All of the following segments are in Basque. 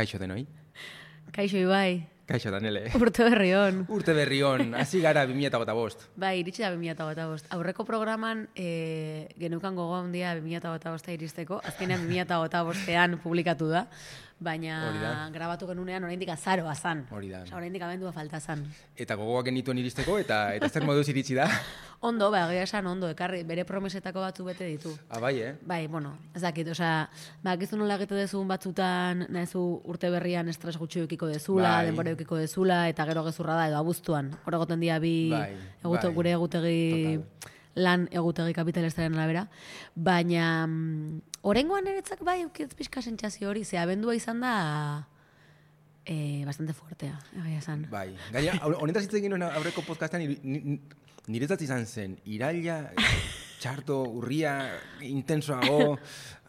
Kaixo denoi. Kaixo Ibai. Kaixo Danele. Urte berri on. Urte berri on, hasi gara 2025. Bai, iritsi da 2025. Aurreko programan geneukan gogo handia 2025 iristeko. Azkenean 2025ean publikatu da. Baina grabatu genunean oraindik azaroa zan. Hori da. Oraindik abendua falta zan. Eta gogoak genituen iristeko eta zer moduz iritsi da? Ondo, egia esan ondo, ekarri, bere promesetako batzu bete ditu. Bai, Bai, bueno, ez dakit, bakizu nola egite dezun batzutan, nahezu urte berrian estres gutxi eukiko dezula, bai. Denbora eukiko dezula, eta gero gezurra da, edo abuztuan. Hor egoten dira gure egutegi, lan egutegi kapitalistaren arabera. Baina, oraingoan eretzak bai, eukitz pixka sentsazio hori, ze abendua izan da... bastante fuertea, egia esan. Bai, gaina, honetaz hitz egin aurreko podcastean, niretzat izan zen, iraila, txarto, urria, intensoago,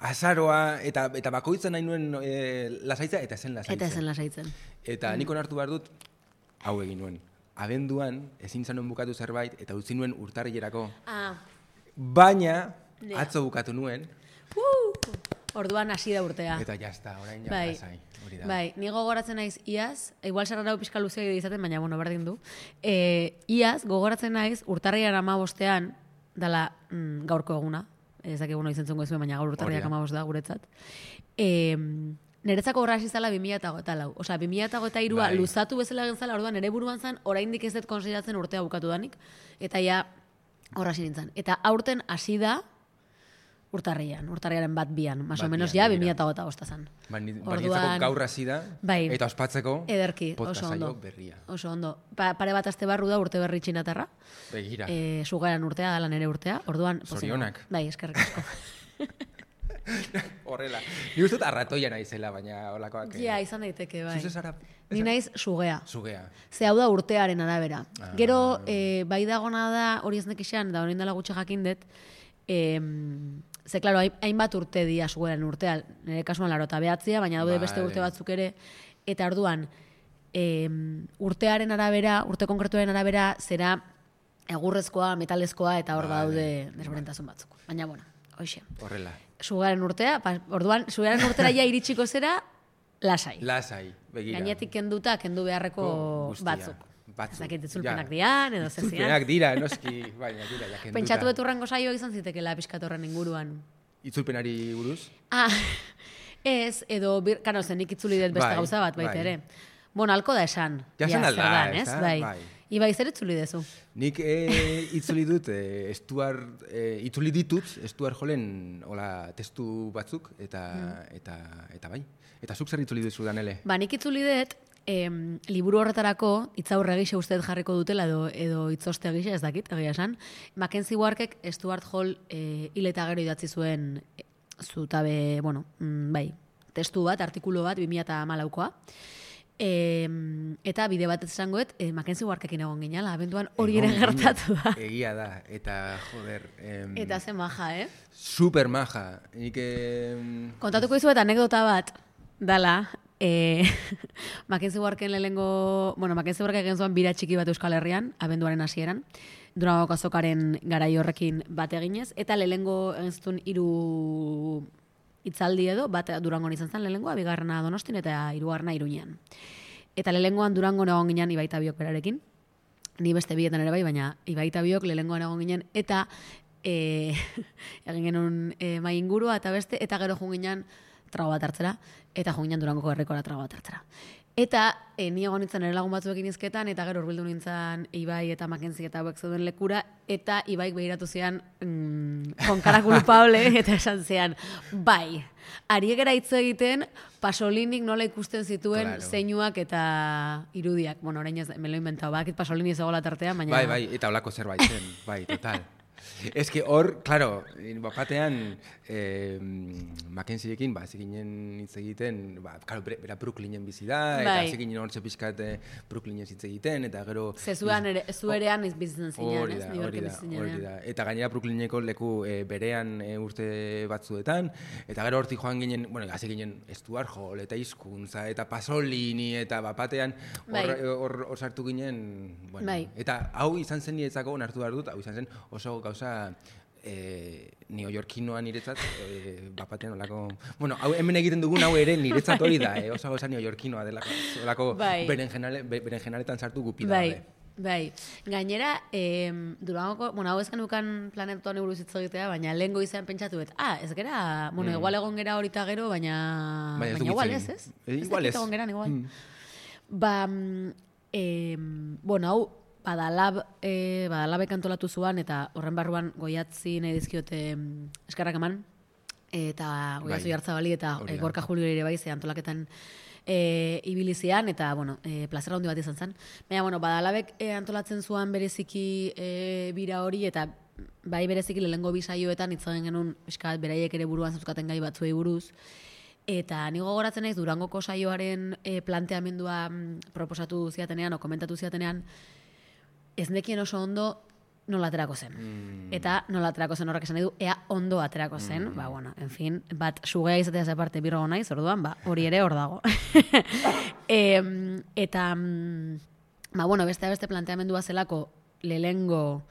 azaroa, eta bakoitzen nahi nuen lasaitzea, eta zen lasaitzen. Eta nik onartu behar dut, hau egin nuen. Abenduan, ezin zanuen bukatu zerbait, eta utzi nuen urtarrilerako. Baina, atzo bukatu nuen. Orduan hasi da urtea. Eta jazta, orain lasai. Bai, ni gogoratzen naiz iaz, igual sarrarau pixka luzea izaten, baina, berdin du. Iaz, gogoratzen naiz, urtarriaren 15ean, dala gaurko eguna, ez dakik egun izen zungo ezuen, baina gaur urtarriak 15 da, guretzat. Niretzako horra hasi zala 2024. Osea, 2023a luzatu bezala egin zala, orduan nire buruan zan, oraindik ez dut konsideratzen urtea bukatu danik, eta ja horra hasi nintzen. Eta aurten hasi da, urtarriaren 1-2, más o menos ja 2025 zan. Niretzako gaur hasi da, eta ospatzeko podcastaio berria. Oso ondo. Pare bat aste barru da urte berri txinatarra. Begira. Sugaran urtea, dala nere urtea. Orduan, zorionak. Bai, eskerrik asko. Horrela. Ni uste arratoia naizela, baina holakoak... Ja, izan daiteke, bai. Zuze zara... Ni naiz sugea. Sugea. Ze hau da urtearen arabera. Gero, bai dagona da, hori ez nekixean, da hori indala gutxe jakin dut, ze, klaro, hainbat urte dia sugeran urtea, nire kasuan 89, baina daude beste urte batzuk ere, eta orduan, urtearen arabera, urte konkretuaren arabera, zera egurrezkoa, metalezkoa, eta hor daude desberdintasun batzuk. Baina, hoxe. Horrela. Sugaren urtea, orduan, sugaren urtera ja iritsiko zera, lasai. Lasai, begira. Gainetik kendu beharreko batzuk. Zakit, itzulpenak dian, edo zezian. Itzulpenak dira, noski, baina dira, ja kenduta. Pentsatu beturrengo saioa izan zitekela pixkatorren inguruan. Itzulpenari buruz? Ez, edo, kano, zenik itzuli dut beste gauza bat, baita ere. Alko da esan. Ja zen alda, ez da? Bai. Ibai, zer itzuli dezu? Nik itzuli dut, itzuli ditut, Stuart Hallen testu batzuk, eta bai. Eta zuk zer itzuli duzu, Danele? Nik itzuli dut, liburu horretarako itzaurre gisa uste jarriko dutela edo itzoste gisa, ez dakit, egia esan. Mackenzie Warkek Stuart Hall hil eta gero idatzi zuen zutabe, testu bat, artikulu bat, 2014koa. Eta bide bat ez esangoet, Mackenzie Warkekin egon ginala, abenduan hori ere gertatu da. Egia da, eta joder... Eta ze maja, Super maja. Kontatuko izuet anekdota bat, dala, Mackenzie Warken lehengo... Mackenzie Warken egin zuen bira txiki bat Euskal Herrian, abenduaren hasieran, Durangoko azokaren garai horrekin bat eginez, eta lehengo egin zuen 3 itzaldi edo, bat Durangon izan zen lehengoa, 2. Donostin eta 3. Iruñean. Eta lehengoan Durangon egon ginen Ibai Tabiok berarekin, ni beste bietan ere bai, baina Ibai Tabiok lehengoan egon ginen, eta egin genuen mai ingurua eta beste, eta gero jun ginen trago bat hartzera, eta jo ginen Durangoko herrikora trago bat hartzera. Eta ni egon nintzen ere lagun batzuekin izketan, eta gero urbildu nintzen Ibai eta Mackenzie eta hauek zeuden lekura, eta Ibaik behiratu zian con cara culpable, eta esan zian, bai, ariegera hitz egiten, Pasolinik nola ikusten zituen zeinuak eta irudiak. Orain ez, me lo he inventado, bakit Pasolini zegoela tartean, baina... Bai, eta holako zerbait zen, bai, total. Ez que hor, claro, bapatean Mackenzieekin, zikinen hitz egiten, claro, bera Brooklynen bizi da, eta zikinen hortxe pixkat Brooklynen hitz egiten, eta gero... Zuerean bizitzen zinean, ez? Hori da. Eta gainera Brooklyneko leku berean urte batzuetan, eta gero hortik joan ginen, hasi ginen Stuart Hall, eta hizkuntza, eta Pasolini, eta bapatean hor sartu ginen, eta hau izan zen niretzako, onartu behar dut, hau izan zen oso gauza neoyorkinoa niretzat, bapatean olako... Bueno, hemen egiten dugun hau ere niretzat hori da, oso neoyorkinoa delako berenjenaletan sartu gupida. Bai, gainera, Durangoko, hau ez genukan planetuan buruz hitz egitea, baina lehen goizean pentsatu ez gera, igual egon gera horita gero, baina igual ez? Igual ez. Egon geran, igual. Hau, badalabek antolatu zuan, eta horren barruan goiatzi nahi dizkiote eskarrak eman, eta goiatzi Jartzabali, eta Gorka Julio ere bai, ze antolaketan ibilizian, eta, plazera handi bat izan zen. Baina, badalabek antolatzen zuan bereziki bira hori, eta bai bereziki lehengo bi saioetan hitzagen genuen, beraiek ere buruan zuzkaten gai batzuei buruz, eta ni gogoratzen naiz Durangoko saioaren planteamendua proposatu ziatenean, o komentatu ziatenean, ez nekien oso ondo nola aterako zen. Eta nola aterako zen horrek esan nahi du, ea ondo aterako zen, en fin, bat sugea izatea aparte birrogo naiz, orduan, hori ere hor dago. Eta, beste planteamendua zelako, lehengo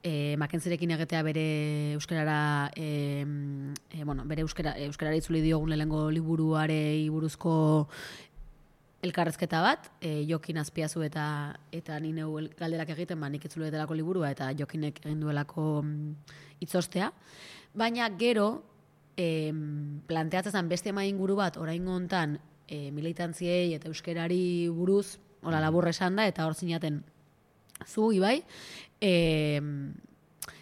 Mackenzierekin egitea bere euskarara, bere euskarara itzuli diogun lehengo liburuarei buruzko elkarrezketa bat, Jokin Azpiazu eta ni neu galderak egiten, nik itzuletelako liburua eta Jokinek egin duelako itzostea. Baina gero, planteatzen beste inguru bat, orain hontan militantziei eta euskarari buruz, hola labur esan da, eta hor zinaten zu, Ibai,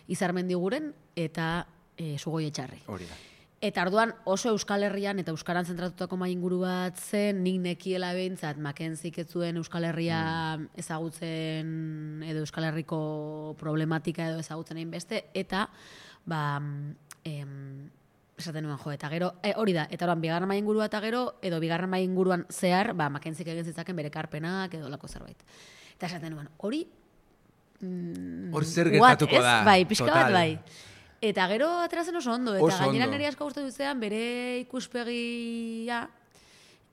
Izarmendiguren eta Sugoi Etxarri. Hori da. Eta orduan oso Euskal Herrian eta Euskaran zentratutako inguru bat zen, nik nekiela behintzat, Mackenziek ez zuen Euskal Herria ezagutzen edo Euskal Herriko problematika edo ezagutzen egin beste, eta esaten nuen eta gero, hori da, eta orduan bigarren ingurua eta gero, edo bigarren inguruan zehar, Mackenziek egin zitzaken bere karpenak edo lako zerbait. Eta esaten nuen, hori... Hor zer gertatuko da. Bai, pixka bat bai. Eta gero aterazen oso ondo, eta gainera niri asko gustatu zean bere ikuspegia,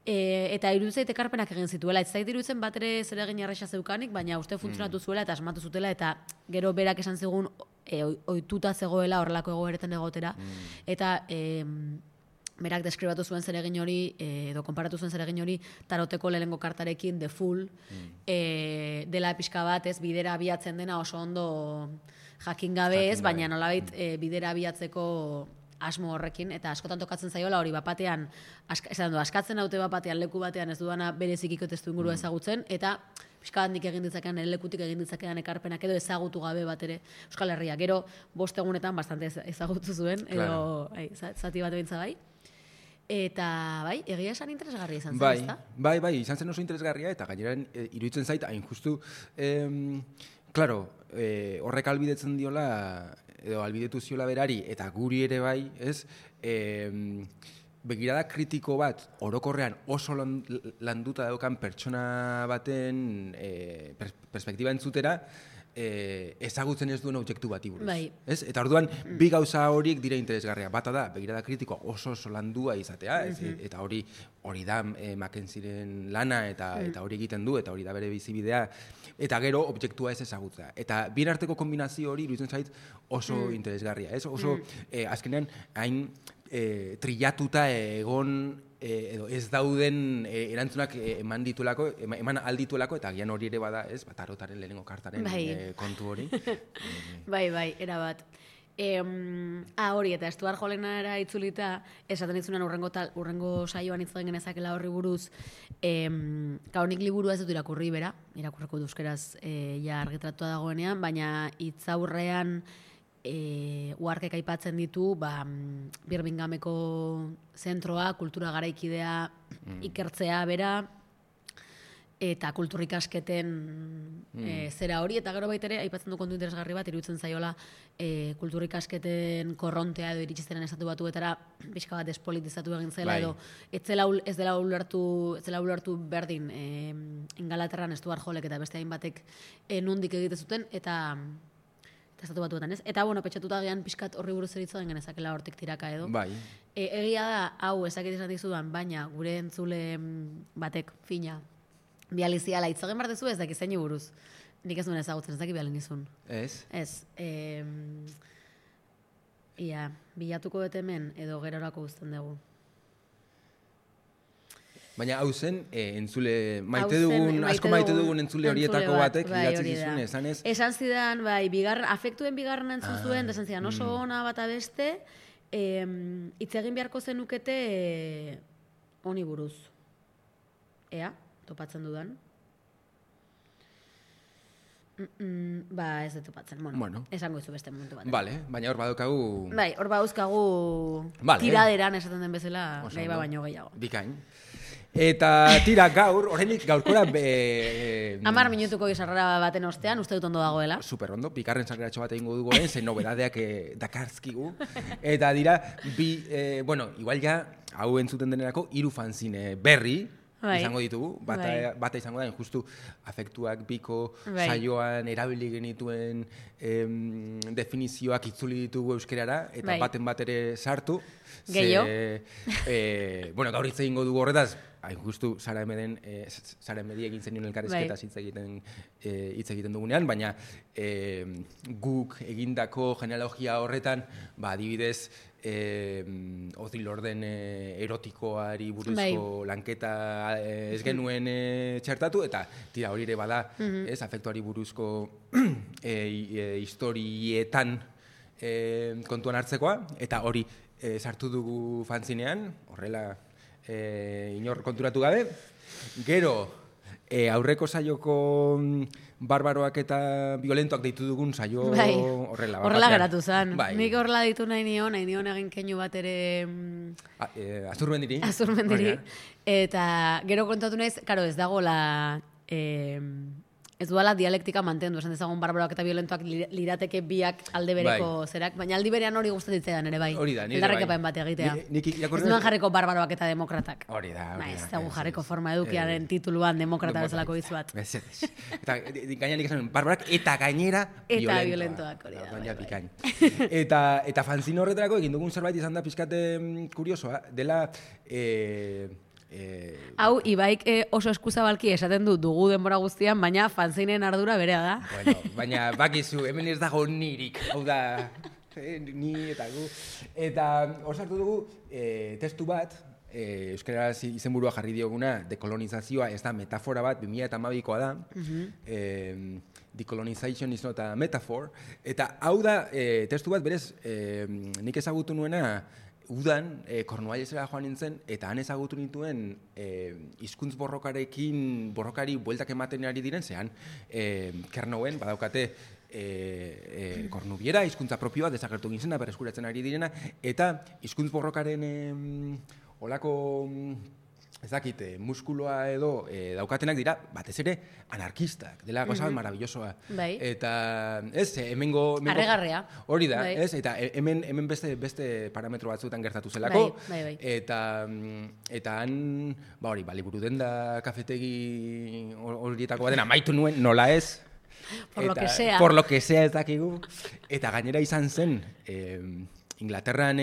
eta iruditzait ekarpenak egin zituela. Ez zait iruditzen bat ere zer egin arresa zeukanik, baina uste funtzionatu zuela eta asmatu zutela, eta gero berak esan zigun ohituta zegoela horrelako egoeretan egotera, eta berak deskribatu zuen zeregin hori, edo konparatu zuen zeregin hori, taroteko lehengo kartarekin, The Fool, dela pixka bat, ez, bidera abiatzen dena oso ondo jakin gabe ez, baina nolabait bidera abiatzeko asmo horrekin, eta askotan tokatzen zaiola hori bapatean, askatzen haute bapatean, leku batean ez duana berezikiko testu ingurua ezagutzen, eta pixka bat nik egin ditzakean, lekutik egin ditzakean ekarpenak edo ezagutu gabe bat ere Euskal Herria. Gero, 5 egunetan bastante ezagutu zuen, edo zati bat ebintza bai. Eta, bai, egia esan interesgarria izan zen, ezta? Bai, izan zen oso interesgarria, eta gainera iruditzen zait, hain justu, claro, horrek albidetzen diola, edo albidetu ziola berari, eta guri ere bai, ez, begirada kritiko bat, orokorrean oso landuta daukan pertsona baten perspektiba entzutera, ezagutzen ez duen objektu bati buruz. Bai. Eta orduan, bi gauza horiek dira interesgarria. Bata da, begirada kritikoa oso landua izatea, eta hori da Mackenzieren lana, eta hori egiten du, eta hori da bere bizibidea, eta gero objektua ez ezagutzea. Eta bien arteko kombinazio hori iruditzen zait oso interesgarria. Oso, azkenean, hain trillatuta egon edo ez dauden erantzunak eman aldituelako, eta gian hori ere bada, ez, tarotaren lehenengo kartaren kontu hori. Bai, erabat. Hori, eta Stuart Hollenara itzulita, esaten ditzunan urrengo saioan itzuen genezakela horri buruz, kaunik liburua ez dut irakurri bera, irakurreko duzkeraz ja argitratua dagoenean, baina hitzaurrean uharkek aipatzen ditu, Birminghameko zentroa, kultura garaikidea ikertzea bera, eta kulturikasketen zera hori, eta gero baitere, aipatzen du kontu interesgarri bat, iruditzen zaiola kulturikasketen korrontea edo iritsiztenen estatu batuetara pixka bat despolitizatu egin zela, edo ez dela ulertu berdin Ingalaterran Stuart Hallek eta beste hainbatek nondik egite zuten, eta estatu batuetan, ez? Eta, petxatuta gian pixkat horri buruz eritzoen genezakela hortik tiraka edo. Bai. Egia da, hau ezakit esan dizudan, baina gure entzule batek fina bializiala hitzagen bar dezu ez daki zein buruz. Nik ez duen ezagutzen, ez daki bialin izun. Ez? Ez. Ia, bilatuko dut hemen, edo gerorako uzten dugu. Baina hau zen, entzule, Asko maite dugun entzule horietako batek, bai, idatzi zizun, esanez. Esan zidan, bai, afektuen bigarren entzun zuen, esan zidan, oso ona bata beste, hitz egin beharko zenukete honi buruz. Ea, topatzen dudan. Ez dut topatzen, bueno, esango izu beste momentu bat. Vale, baina hor badaukagu... Bai, hor badauzkagu tiraderan esaten den bezala, nahi baino gehiago. Bikain. Eta tira oraindik gaurkora... 10 minutuko izarrara baten ostean, uste dut ondo dagoela. Super ondo, bikarren sarreratxo bat egingo dugu zen nobedadeak dakarzkigu. Eta dira, igual ja, hau entzuten denerako, 3 fanzine berri, izango ditugu, bata izango da, justu afektuak biko saioan erabili genituen definizioak itzuli ditugu euskerara, eta baten bat ere sartu. Gehiago. Gaur hitz egingo dugu horretaz, justu Sara Emedi egin zen elkarrizketaz hitz egiten dugunean, baina guk egindako genealogia horretan, adibidez, Odil Orden erotikoari buruzko lanketa ez genuen txertatu, eta tira hori ere bada, afektuari buruzko historietan kontuan hartzekoa, eta hori sartu dugu fanzinean, horrela inor konturatu gabe. Gero, aurreko saioko barbaroak eta violentoak deitu dugun saio horrela. Horrela geratu zen. Nik horrela ditu nahi nion egin keinu bat ere... Azurmendiri. Eta gero kontatu naiz, karo, ez dagoela... Ez duela dialektika mantendu, esan dezagun barbaroak eta violentoak lirateke biak alde bereko zerak, baina aldi berean hori gustatzen ere bai. Hori da, nire bai. Eldarrekapen bat egitea. Ez duen jarriko barbaroak eta demokratak. Hori da. Ez dugu jarriko forma edukiaren tituluan demokrata bezalako izuat. Eta gaina nik esan, barbaroak eta gainera violentoak. Baina bikain. Eta fanzin horretarako egin dugun zerbait izan da pixkate kuriosoa, dela... Hau, Ibaik oso eskuzabalki esaten dugu denbora guztian, baina fanzinen ardura berea da. Baina bakizu, hemen ez dago nirik, hau da, ni eta gu. Eta hor sartu dugu testu bat, euskaraz izenburua jarri dioguna, dekolonizazioa, ez da metafora bat, 2012koa da, decolonization is not a metaphor, eta hau da testu bat berez, nik ezagutu nuena, udan, Kornuallesera joan nintzen, eta han ezagutu nituen hizkuntz borrokari bueltak ematen ari diren, zehan, Kernouen, badaukate, Kornubiera, hizkuntza propioa, desagertu gintzena, berreskuratzen ari direna, eta hizkuntz borrokaren olako... Ez dakit, muskuloa edo daukatenak dira, batez ere, anarkistak, dela gozat maravillosoa. Eta, ez, hemengo... Arregarrea. Hori da, ez, eta hemen beste parametro batzuetan gertatu zelako. Eta han, hori, liburu denda kafetegi horietako baten amaitu nuen, nola ez. Por lo que sea ez dakigu. Eta gainera izan zen, Inglaterran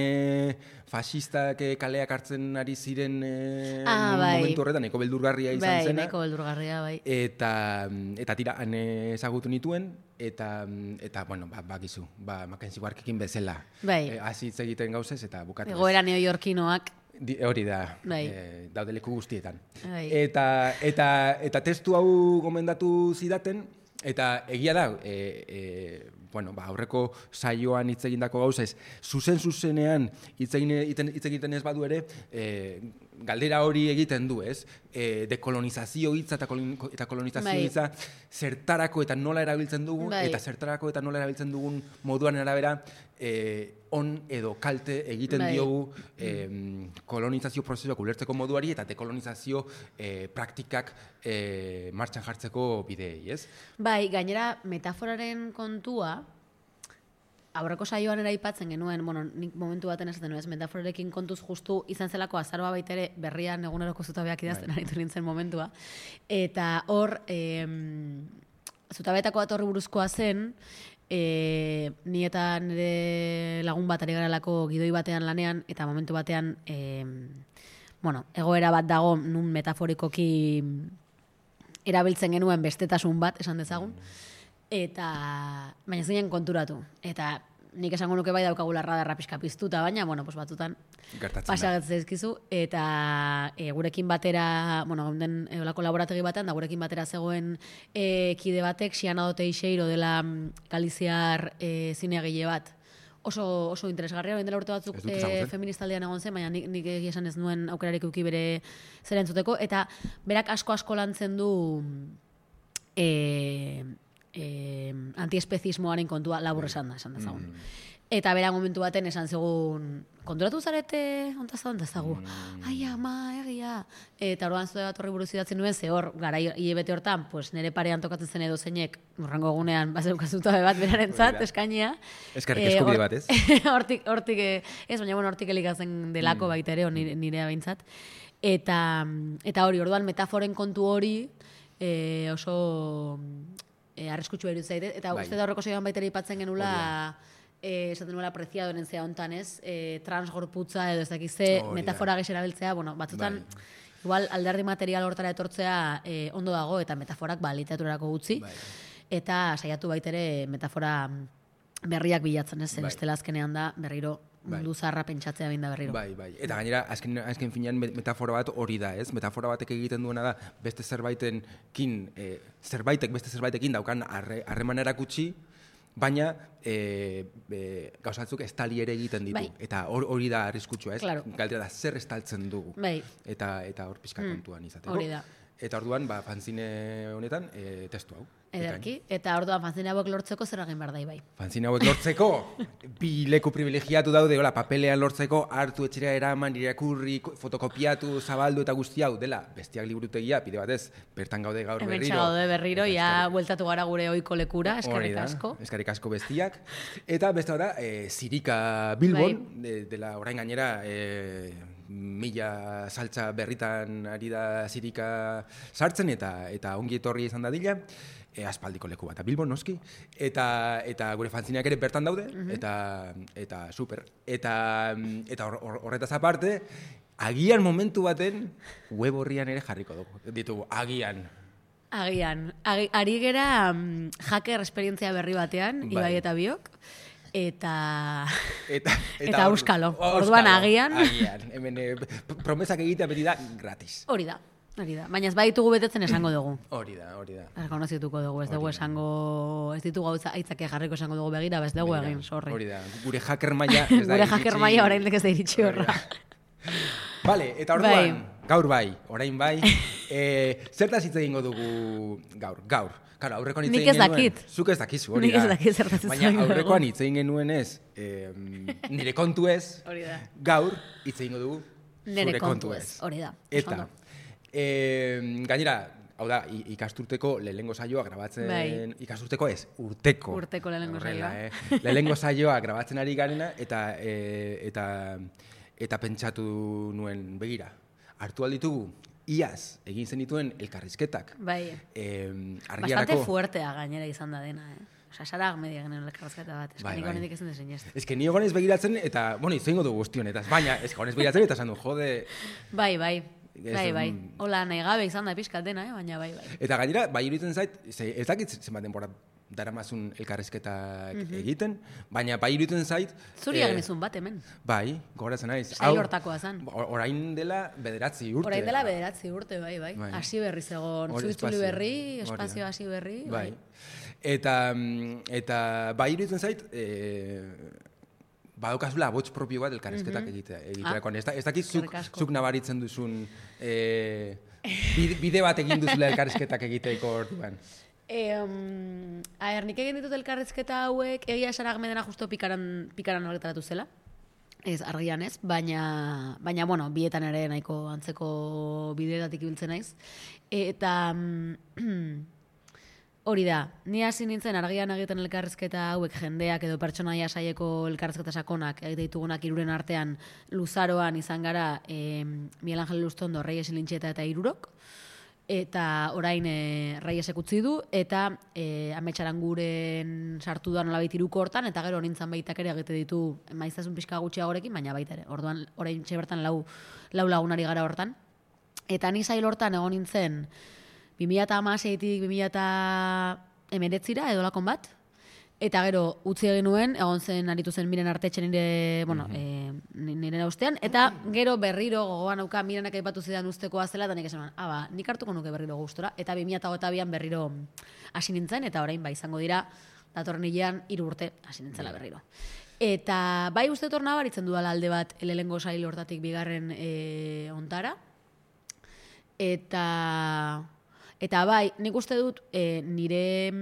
fasistak kaleak hartzen ari ziren momentu horretan, eko beldurgarria izan zena. Eko beldurgarria, bai. Eta tira, han ezagutu nituen, eta bakizu, Mackenzie Warkekin bezala. Azitz egiten gauzez, eta bukatu. Egoera neoyorkinoak. Hori da, daude leku guztietan. Eta testu hau gomendatu zidaten, eta egia da, aurreko saioan hitz egindako gauza ez, zuzenean hitz egiten ez badu ere, galdera hori egiten du, ez? Dekolonizazio hitza eta kolonizazio hitza zertarako eta nola erabiltzen dugu, eta zertarako eta nola erabiltzen dugun moduan arabera, on edo kalte egiten diogu kolonizazio prozesuak ulertzeko moduari eta dekolonizazio praktikak martxan jartzeko bideei, ez? Bai, gainera metaforaren kontua, aurreko saioan eraipatzen genuen, nik momentu baten esaten nuen, metaforekin kontuz justu izan zelako azaroa baitere berrian eguneroko zutabeak idazten aritu nintzen momentua. Eta hor, zutabetako bat horri buruzkoa zen, ni eta nire lagun bat ari garelako gidoi batean lanean, eta momentu batean, egoera bat dago nun metaforikoki erabiltzen genuen bestetasun bat, esan dezagun, eta baina zinen konturatu. Eta nik esango nuke bai daukagula radarra pixka piztuta, baina, bueno, pues batzutan pasagatze ezkizu, eta gurekin batera, bueno, gaunden olako laborategi batean, da gurekin batera zegoen kide batek, Xianado Teixeiro dela Galiziar zineagile bat, oso interesgarria, orain dela urte batzuk feministaldean egon zen, baina nik egia esan ez nuen aukerarik eduki bere zera entzuteko, eta berak asko lantzen du antiespezismoaren kontua labur esan dezagun. Eta bera momentu baten esan zegoen, konturatu zarete, ontazagu, ai ama, egia. Eta orduan zure bat horri buruz idatzen nuen, ze hor, gara hilebete hortan, pues, nire parean tokatzen zen edo zeinek, urrango egunean, bazeukazuta bat berarentzat, eskainia. Eskarrik eskubide bat, ez? Hortik, ez, baina bueno, hortik elikatzen delako baita ere, nirea behintzat. Eta hori, orduan metaforen kontu hori oso arriskutsu iruditzen zaite, eta uste da horreko saioan baita ere aipatzen genula, esaten nuela apreciadoren zea hontan, ez? Transgorputza edo ez dakize metafora gehi erabiltzea, bueno, batzutan igual alderdi material hortara etortzea ondo dago, eta metaforak literaturarako gutxi, eta saiatu baitere metafora berriak bilatzen, ez? Bestela azkenean da berriro mundu zaharra pentsatzea behin da berriro. Bai. Eta gainera, azken finean metafora bat hori da, ez? Metafora batek egiten duena da, beste zerbaitekin, zerbaitek beste zerbaitekin daukan harreman erakutsi, baina gauzatzuk estali ere egiten ditu. Eta hori da arriskutsua, ez? Galdera da, zer estaltzen dugu. Eta hor pixka kontuan izateko. Hori da. Eta orduan, fanzine honetan, testu hau. Ederki, eta orduan fanzine hauek lortzeko zer egin behar da, bai. Fanzine hauek lortzeko, bi leku privilegiatu daude, papelean lortzeko, hartu etxera eraman, irakurri, fotokopiatu, zabaldu eta guzti hau, dela, Bestiak liburutegia, pide batez, bertan gaude gaur berriro. Hementsa gaude berriro, ja bueltatu gara gure ohiko lekura, eskerrik asko. Eskerrik asko Bestiak. Eta beste da, Zirika Bilbon, dela orain gainera, mila saltza berritan ari da Zirika sartzen, eta ongi etorri izan dadila, aspaldiko leku bat, Bilbon noski, eta gure fanzineak ere bertan daude, eta super. Eta horretaz aparte, agian momentu baten web horrian ere jarriko dugu. Ditugu, agian. Ari gera hacker esperientzia berri batean, Ibai eta biok, eta auskalo. Orduan agian. Hemen promesak egitea beti da gratis. Hori da. Baina ez baditugu betetzen esango dugu. Hori da. Erkonozituko dugu, ez dugu esango, ez ditugu aitzake jarriko esango dugu begira, ez dugu egin, sorry. Hori da, gure hacker maila ez da iritsi. Gure hacker maila orain ez da iritsi horra. Vale, eta orduan, gaur bai, orain bai, zertaz hitz egingo dugu gaur. Claro, aurrekoan hitz egin genuen. Nik ez dakit. Zuk ez dakizu, hori da. Nik ez dakit zertaz hitz egin baina aurrekoan hitz egin genuen ez, nire kontu ez, gaur hitz egingo dugu nire kontu ez. Hori da. Eta, gainera, hau da, ikasturteko lehenengo saioa grabatzen, ikasturteko ez, urteko lehenengo saioa. Lehenengo saioa grabatzen ari garena, eta pentsatu nuen begira. Hartu alditugu, iaz egin zenituen elkarrizketak. Bastante fuertea gainera izan da dena, Osa, Sara Ahmedia genuen elkarrizketa bat, eskaniko honetik ezin dezen jazte. Ez que ni egonez begiratzen, eta, izango dugu guztionetaz, baina, ez que egonez begiratzen, eta esan du, jode... Bai. Hola, nahi gabe izan da pixkat dena, baina bai. Eta gainera, bai iruditzen zait, ez dakit zenbat denbora daramazun elkarrizketak egiten, baina bai iruditzen zait... Zuri agenizun bat hemen. Bai, gogoratzen naiz. Sail hortakoa zan. Orain dela 9 urte. Orain dela 9 urte, bai. Hasi berri zegoen, zuitzuli berri, espazio hasi berri. Bai. Eta bai iruditzen zait, badaukazula abots propio bat elkarrizketak egiterakoan. Ez dakit zuk nabaritzen duzun bide bat egin duzula elkarrizketak egiteko orduan. Nik egin ditut elkarrizketa hauek, egia esan Ahmedena justo pikaran horretaratu zela. Ez, argian ez, baina bueno, bietan ere nahiko antzeko bideetatik ibiltzen naiz. Eta... Hori da, ni hasi nintzen argian egiten elkarrizketa hauek jendeak edo pertsonaia saieko elkarrizketa sakonak egite ditugunak hiruren artean luzaroan izan gara Miguel Ángel Lustondo, Reyes Lintxeta eta Hirurok, eta orain Reyesek utzi du, eta Ametxaran guren sartu da nolabait hiruko hortan, eta gero nintzen baitak ere egite ditu maiztasun pixka gutxiagorekin, baina baita ere, orduan orain bertan lau lagunari gara hortan. Eta ni sail hortan egon nintzen 2016-tik 2019 edolakon bat, Eta gero, utzi egin nuen, egon zen aritu zen Miren Artetxe nire, bueno, nire ustean, eta gero berriro gogoan auka Mirenak aipatu zidan ustekoa zela, eta nik esan, nik hartuko nuke berriro gustora, eta 2008an berriro hasi nintzen, eta orain izango dira, datorren hilean 3 urte hasi nintzela berriro. Eta bai uste torna baritzen dudala alde bat lehengo sail hortatik bigarren ontara. Eta bai, nik uste dut nire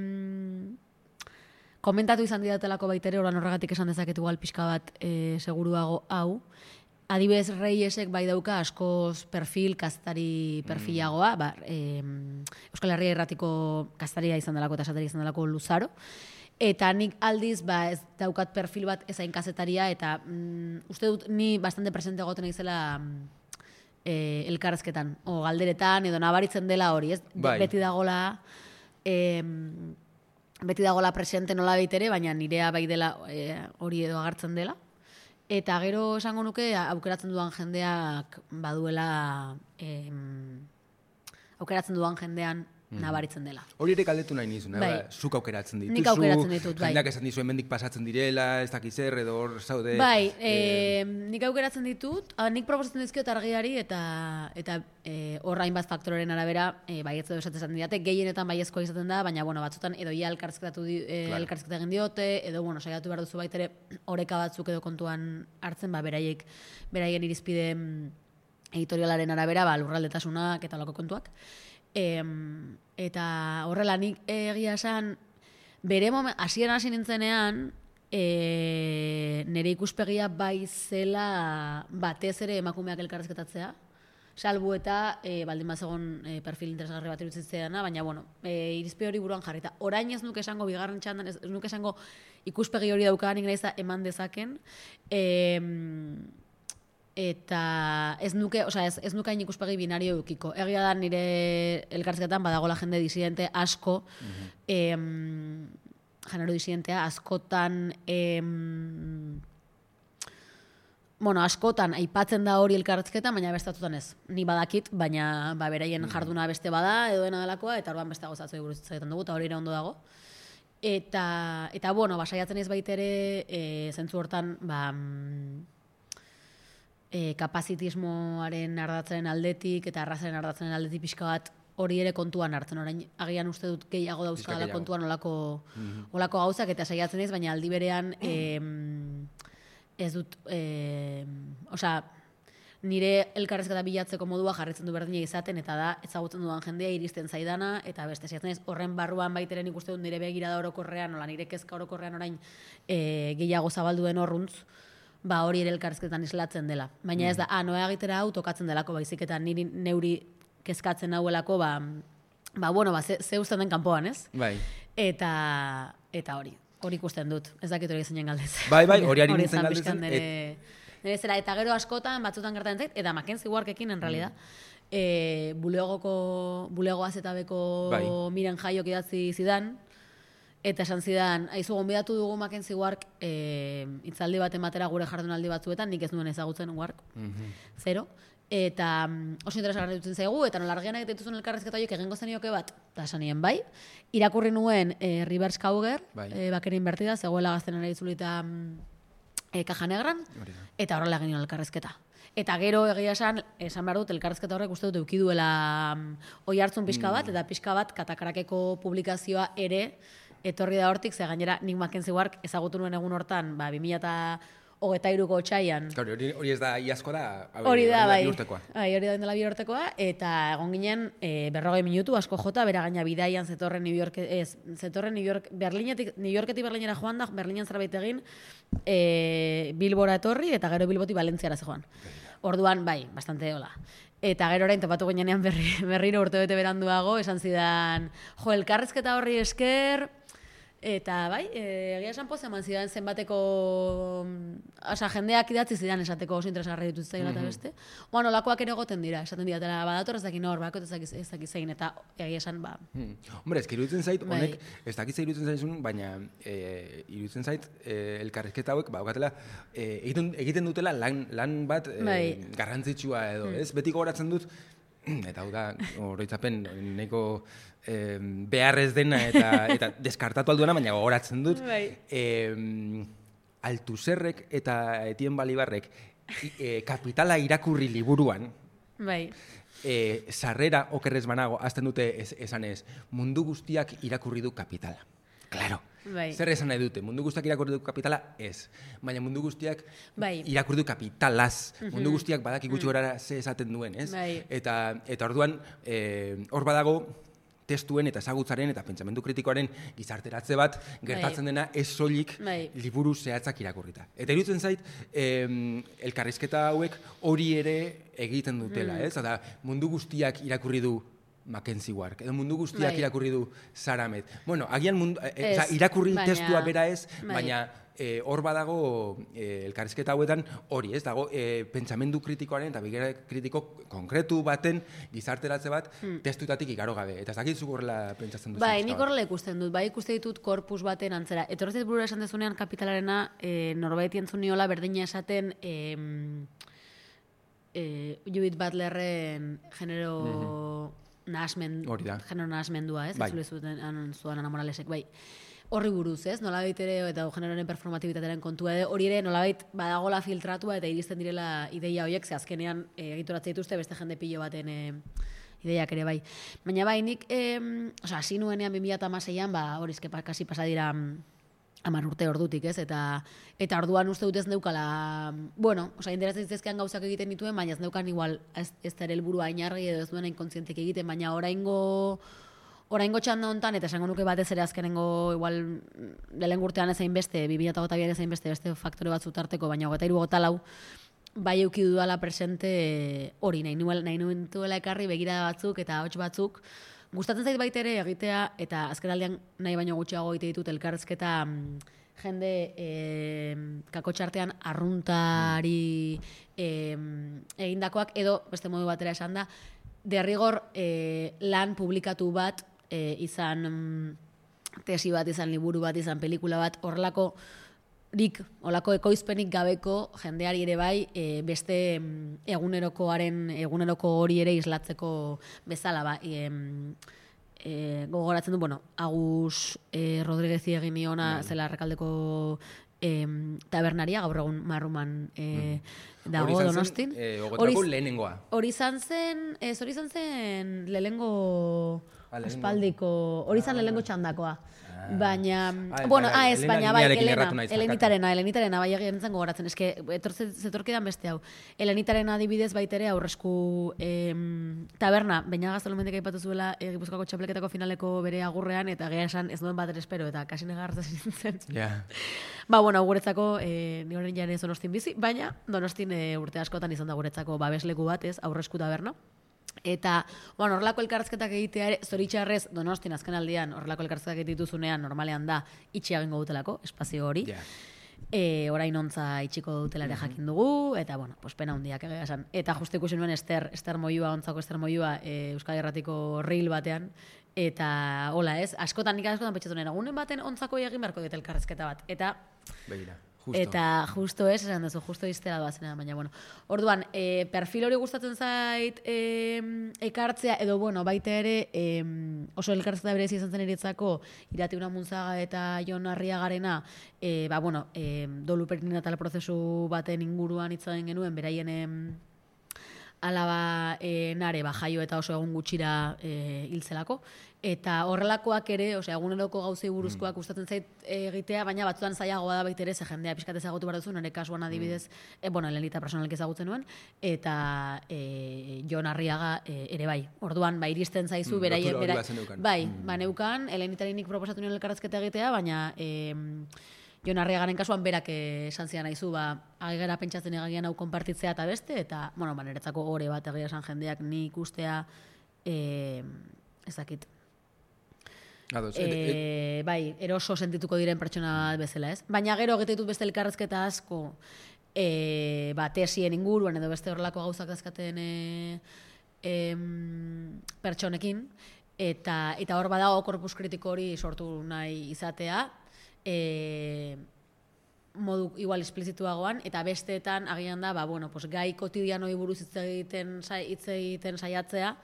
komentatu izan didatelako baitere, oran horregatik esan dezaket igual pixka bat seguruago hau. Adibidez Reyesek bai dauka askoz kaztari perfilagoa, Euskal Herria Irratiko kastaria izan delako eta esateria izan delako Luzaro. Eta nik aldiz, ez daukat perfil bat ezain kazetaria, eta uste dut ni bastante presente egoten izela elkarrezketan, o galderetan, edo nabaritzen dela hori, ez? Beti dagola presente nola baitere, baina nirea bai dela hori edo agertzen dela. Eta gero esango nuke, aukeratzen dudan jendeak baduela, aukeratzen dudan jendean nabaritzen dela. Hori ere galdetu nahi nizun, zuk aukeratzen dituzu. Nik aukeratzen ditut, bai. Jendeak esan dizu hemendik pasatzen direla, ez dakiz edo hor zaude. Bai, nik aukeratzen ditut, nik proposatzen dizkiot argiari eta horrain bat faktoren arabera, baietz edo esatzen didate, gehienetan baiezkoa izaten da, baina batzutan edo ia elkarrizketa egin diote, edo saiatu behar duzu baitere oreka batzuk edo kontuan hartzen, beraien irizpide editorialaren arabera, lurraldetasunak eta lako kontuak. Eta horrela nik egia esan hasieran hasi nintzenean nire ikuspegia bai zela batez ere emakumeak elkarrezketatzea, salbu eta baldin bazegon perfil interesgarri bat iruditzeana, baina irizpide hori buruan jarrita. Orain ez nuke esango bigarren txandan, ez nuke esango ikuspegi hori daukanik nahiz da eman dezaken, eta ez nuke hain ikuspegi binario eukiko. Egia da nire elkarrizketan badagola jende disidente asko, genero disidentea, askotan aipatzen da hori elkarrizketan, baina bestatutan ez. Ni badakit, baina beraien jarduna beste bada, edo dena delakoa, eta orban beste gozatzu eguruz egiten dugu, eta hori ere ondo dago. Eta saiatzen ez baitere, zentzu hortan, kapazitismoaren ardatzaren aldetik eta arrazaren ardatzaren aldetik pixka bat hori ere kontuan hartzen. Orain agian uste dut gehiago dauzkadala kontuan olako gauzak eta saiatzen ez, baina aldi berean ez dut, nire elkarrezketa bilatzeko modua jarritzen du berdina izaten, eta da ezagutzen dudan jendea iristen zaidana, eta beste saiatzen ez horren barruan baiteren ikuste dut nire begirada orokorrean, nire kezka orokorrean orain gehiago zabalduen horruntz, hori ere elkarrezketan islatzen dela. Baina ez da, noa egitera hau tokatzen delako, baizik eta niri neuri kezkatzen hauelako, ze usten den kanpoan, ez? Bai. Eta hori ikusten dut, ez dakit hori zeinen galdez. Bai, hori ari nintzen galdezen. Nire zera, eta gero askotan, batzutan gertatzen zait, eta Mackenzie Warkekin, en realidad, bulego azetabeko Miren Jaiok idatzi zidan, eta esan zidan, aizu gonbidatu dugu Mackenzie Wark hitzaldi bat ematera gure jardunaldi batzuetan, nik ez nuen ezagutzen Wark, zero. Eta oso interesgarri dutzen zaigu, eta nola argianak dituzun elkarrezketa horiek egingo zenioke bat, eta esan nien bai. Irakurri nuen Rivers Kauger, Bakerin inbertida, zegoela gaztenera itzulita Kaja Negran, eta horrela egin elkarrezketa. Eta gero egia esan behar dut, elkarrezketa horrek uste dut eukiduela oi hartzun pixka bat, eta pixka bat Katakarakeko publikazioa ere etorri da hortik, ze gainera nik Mackenzie Wark ezagutu nuen egun hortan, 2023ko otsaian. Hori ez da iazko da, hori da, bai. Bihurtekoa. Hori da dela bihurtekoa, eta egon ginen 40 minutu, asko jota, bera gaina bidaian zetorren New York, New Yorketik Berlinera joan da, Berlinen zerbait egin, Bilbora etorri, eta gero Bilbotik Valentziara zegoan. Orduan, bai, bastante hola. Eta gero orain topatu ginean berriro urtebete beranduago, esan zidan, elkarrezketa horri esker, eta bai, egia esan poz eman zidan zenbateko, jendeak idatzi zidan esateko oso interesgarri ditut zaila eta beste. Oan olakoak ere goten dira, esaten dira, eta badator ez dakin hor, bakot ez dakiz zein, eta egia esan, Hombre, ez iruditzen zait, honek, ez dakiz iruditzen zaizun, baina iruditzen zait, elkarrezketa hauek, baukatela, egiten dutela lan bat garrantzitsua edo, ez? Beti gogoratzen dut, eta hau da, oroitzapen nahiko beharrez dena eta deskartatu alduena, baina gogoratzen dut. Altuzerrek eta Etien Balibarrek Kapitala irakurri liburuan, sarrera okerrez banago, azten dute esanez, mundu guztiak irakurri du Kapitala. Claro. Zer esan nahi dute? Mundu guztiak irakurri du Kapitala? Ez. Baina mundu guztiak irakurri du Kapitalaz. Mundu guztiak badaki gutxi gorara ze esaten duen, ez? Eta orduan, hor badago testuen eta ezagutzaren eta pentsamendu kritikoaren gizarteratze bat gertatzen dena ez soilik liburu zehatzak irakurrita. Eta iruditzen zait, elkarrizketa hauek hori ere egiten dutela, ez? Eta mundu guztiak irakurri du Mackenzie Wark, edo mundu guztiak irakurri du Saramet. Bueno, agian irakurri testua bera ez, baina hor badago elkarrizketa hauetan hori, ez dago pentsamendu kritikoaren eta begirada kritiko konkretu baten gizarteratze bat testuetatik igaro gabe. Eta ez dakit zuk horrela pentsatzen duzu. Bai, nik horrela ikusten dut, bai ikuste ditut korpus baten antzera. Etorrezit burura esan dezunean Kapitalarena norbait entzun niola berdina esaten Judith Butlerren genero nahasmendua, ez? Ez zuen Ana Moralesek, bai. Horri buruz, ez? Nolabait ere, eta generoaren performatibitatearen kontua, hori ere nolabait badagola filtratua eta iristen direla ideia horiek, ze azkenean egituratze dituzte beste jende pilo baten ideiak ere bai. Baina bai, nik, hasi nuenean 2016an, horizke kasi pasadira 10 urte ordutik, ez? Eta orduan uste dut ez neukala, interesatzen zizkezkean gauzak egiten dituen, baina ez neukan igual, ez da ere helburua ainargi edo ez duen inkonszientek egiten, baina oraingo txanda hontan, eta esango nuke batez ere azkenengo igual lehenengo urtean ezain beste, 2022an ezain beste faktore batzu tarteko, baina 23-24 bai euki dudala presente hori, nahi nuentuela ekarri begirada batzuk eta hots batzuk. Gustatzen zait baita ere egitea, eta azkenaldian nahi baino gutxiago egite ditut elkarrizketa jende kakotxartean arruntari egindakoak, edo beste modu batera esan da, derrigor lan publikatu bat izan tesi bat, izan liburu bat, izan pelikula bat, horrelako olako ekoizpenik gabeko jendeari ere bai beste eguneroko hori ere islatzeko bezala gogoratzen du, Agus Rodríguezi egin niona zela Errekaldeko tabernaria, gaur egun Marruman dago Donostin. Ogotako lehenengoa. Hori izan zen lehenengo aspaldiko, hori izan lehenengo txandakoa. Baina, baina bai, Elenitarena, bai egin zen gogoratzen, eske, zetorkidan beste hau. Elenitarena adibidez baitere aurresku taberna, baina gaztolomendik aipatu zuela Gipuzkoako txapelketako finaleko bere agurrean, eta gea esan ez duen bat espero, eta kasi negarratzen nintzen. Guretzako, ni horren jaren Donostin bizi, baina Donostin urte askotan izan da guretzako babesleku bat, ez, aurresku taberna. Eta, horrelako elkarrizketak egitea ere, zoritxarrez, Donostin azken aldian, horrelako elkarrizketak egituzunean, normalean da, itxia bengo dutelako, espazio hori. Orain ontza itxiko dutelare jakin dugu, eta, pena hundiak egia esan. Eta justu ikusi nuen Ester Moyua, ontzako Ester Moyua, Euskal Herratiko reel batean, eta, hola ez, askotan pentsatu nuen, egunen baten ontzako egin beharko dut elkarrizketa bat. Eta, begira. Eta justo ez, esan duzu, justo iztera doazena, baina, orduan, perfil hori gustatzen zait ekartzea, edo, baita ere, oso elkartzea berezi izan zen eritzako, Irati Unamunzaga eta Jon Arriagarena, dolu perinatal prozesu baten inguruan hitzagen genuen, beraien alaba nare, jaio eta oso egun gutxira hiltzelako. Eta horrelakoak ere, eguneroko gauzei buruzkoak gustatzen zait egitea, baina batzutan zailagoa da baita ere, ze jendea pixkat ezagutu behar duzu, nire kasuan adibidez, Elenita personalek ezagutzen nuen, eta Jon Arriaga ere bai. Orduan, iristen zaizu, beraien, neukan, Elenitarinik proposatu nuen elkarrazketa egitea, baina Jon Arriagaren kasuan berak esan zidan naizu, agigera pentsatzen egagian hau konpartitzea eta beste, eta, niretzako gore bat egia esan jendeak ni ikustea ezakit. Eroso sentituko diren pertsona bezala, ez? Baina gero egite ditut beste elkarrezketa asko tesien inguruan edo beste horrelako gauzak dazkaten pertsonekin, eta hor badago korpus kritiko hori sortu nahi izatea, modu igual esplizituagoan, eta besteetan agian da, pues, gai kotidianoi buruz hitz egiten saiatzea,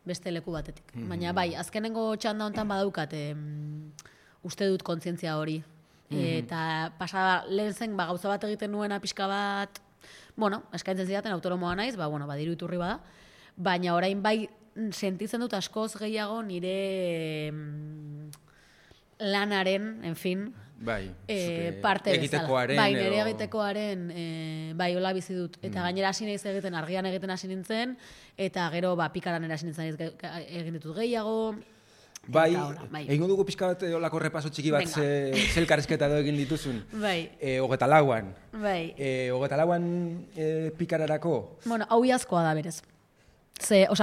beste leku batetik. Baina bai, azkenengo txanda hontan badaukat, uste dut kontzientzia hori. Eta pasada lehen zen, gauza bat egiten nuena pixka bat, eskaintzen zidaten autonomoa naiz, diru iturri bada, baina orain bai sentitzen dut askoz gehiago nire lanaren, en fin, parte bezala. Nire egitekoaren, hola bizi dut. Eta gainera hasi naiz egiten, argian egiten hasi nintzen, eta gero pikaran hasi nintzen egin ditut gehiago. Egingo dugu pixka bat olako repaso txiki bat zelkarrezketa edo egin dituzun. Hogeta lauan. Hogeta lauan pikararako. Hau iazkoa da berez.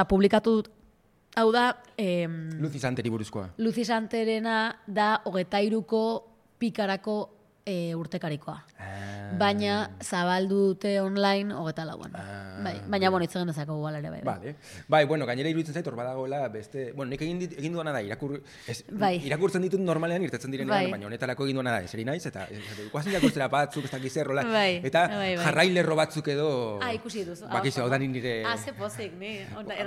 Publikatu, hau da... Luzi Santeri buruzkoa. Luzi Santerena da 23ko pikarako urtekarikoa. Baina zabaldu dute online 24an. Baina, hitz egin dezako guala ere bai. Gainera iruditzen zait, hor badagoela beste... Nik egin duana da, irakurtzen ditut normalean irtetzen direnean, baina honetarako egin duana da, eseri naiz, eta guazen irakurtzera batzuk, ez dakiz errola, eta jarrailerro batzuk edo... Ikusi duzu. Bakizu, hau da nire... Ze pozik, ni.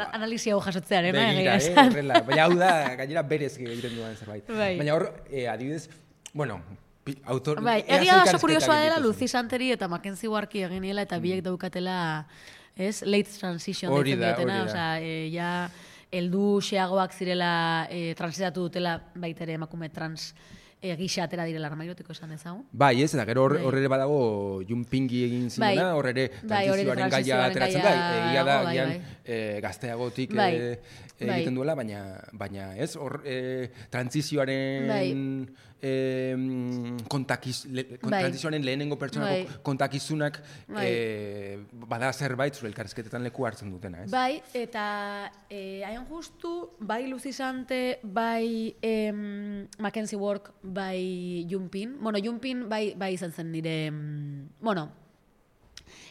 Analizia hau jasotzearen, begira, horrela. Baina hau da, gainera berez egiten duan zerbait. Baina hor, adibidez, egia da oso kuriosoa dela Luzi Santeri eta Mackenzie Warki eginiela eta biek daukatela late transition deitzen diotena, heldu xeagoak zirela transitatu dutela baitere emakume trans gisa atera direla armairotiko esan dezagun. Eta gero hor ere badago Junpingi egin zinena, hor ere transizioaren gaia ateratzen da, egia da, gazteagotik egiten duela, baina ez, hor transizioaren transizioaren lehenengo pertsonako kontakizunak bada zerbait zure elkarrizketetan leku hartzen dutena, ez? Eta hain justu, Luzi Sante, Mackenzie Work, Junpin. Junpin izan zen nire...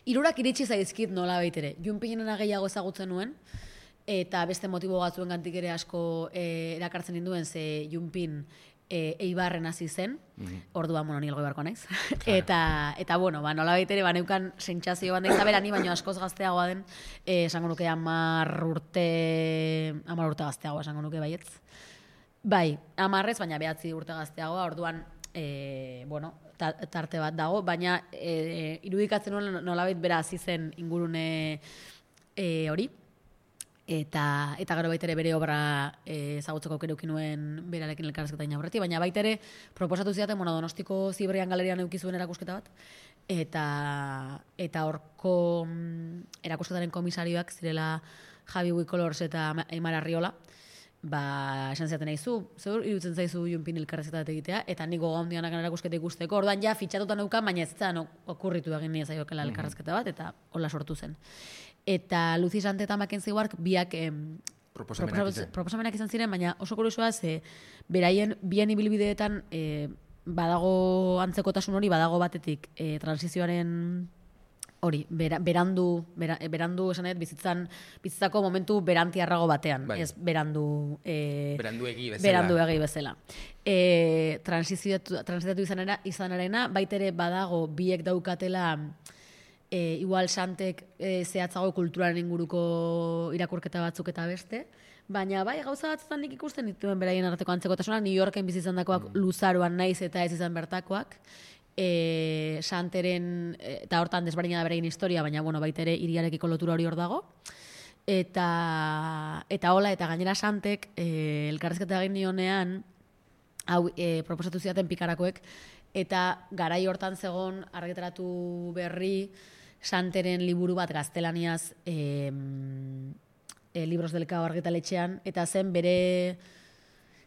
Hirurak iritsi zaizkit nola baitere. Junpinena gehiago ezagutzen nuen, eta beste motibo batzuen gantik ere asko erakartzen ninduen, ze Junpin Eibarren hasi zen, orduan, ni elgoi barko naiz. Eta, nola baitere, neukan sentsazio bat da berani, baina askoz gazteagoa den, esango nuke 10 urte gazteagoa, esango nuke baietz. 10 baina 9 urte gazteagoa, orduan, tarte bat dago, baina irudikatzen nolabait bera hasi zen ingurune hori. Eta gero baitere bere obra ezagutzeko aukera nuen berarekin elkarrizketa aurretik, baina baitere proposatu zidaten Donostiko Ziberrian galerian eduki zuen erakusketa bat, eta horko erakusketaren komisarioak zirela Javi Wicolors eta Aimar Arriola, esan zidaten nahizu, zeur irutzen zaizu Junpin elkarrizketa bat egitea, eta nik goga hondianak erakusketa ikusteko, orduan fitxatuta neukan, baina ez zen okurritu egin nire zaiokela elkarrizketa bat, eta hola sortu zen. Eta Luzi Sante eta Mackenzie Wark biak proposamenak izan ziren, baina oso kuriosoa beraien bien ibilbideetan badago antzekotasun hori, badago batetik transizioaren hori, berandu esan edo bizitzako momentu berantiarrago batean, ez beranduegi bezala. Transitatu izanarena, baitere badago biek daukatela igual Santek zehatzago kulturaren inguruko irakurketa batzuk eta beste, baina gauza batzutan nik ikusten dituen beraien arteko antzekotasuna, New Yorken bizi izandakoak luzaroan naiz eta ez izan bertakoak, Santeren, eta hortan desberdina da beraien historia, baina baitere hiriarekiko lotura hori hor dago, eta hola, eta gainera Santek elkarrizketa egin nionean, hau proposatu zidaten pikarakoek, eta garai hortan zegon argitaratu berri Santeren liburu bat gaztelaniaz Libros del Cao argitaletxean, eta zen bere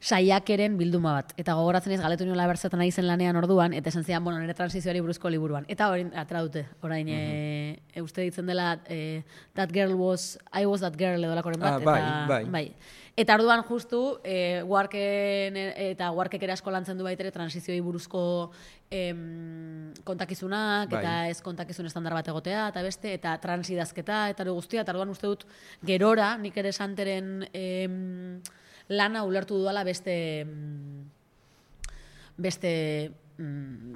saiakeren bilduma bat. Eta gogoratzen ez galetu niola berzetan ari zen lanean orduan, eta esan zidan, nire transizioari buruzko liburuan. Eta hori atera dute, orain uste ditzen dela I was that girl edo lakoren bat. Bai. Eta orduan justu, Warkek ere asko lantzen du baitere transizioi buruzko kontakizunak, eta ez kontakizun estandar bat egotea, eta beste, eta transidazketa, eta guztia, eta orduan uste dut gerora, nik ere Santeren lana ulertu dudala beste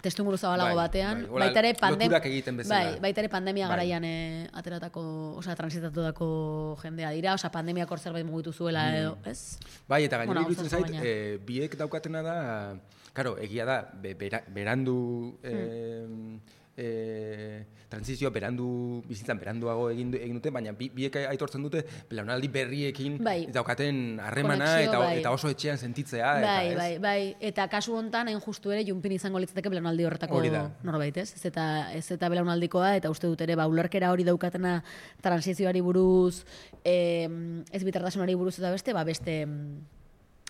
testu inguru zabalago batean, bai, baita ere loturak egiten bezala. baita ere pandemia garaian ateratako, transitatutako jendea dira, pandemiak hor zerbait mugitu zuela edo, ez? Bai, eta gainera iruditzen zait, biek daukatena da, karo, egia da, berandu transizioa bizitzan beranduago egin dute, baina biek aitortzen dute belaunaldi berriekin daukaten harremana eta oso etxean sentitzea. Bai, eta kasu hontan hain justu ere Junpin izango litzateke belaunaldi horretako norbait, ez? Ez eta belaunaldikoa, eta uste dut ere, ulerkera hori daukatena transizioari buruz, ez bitartasunari buruz eta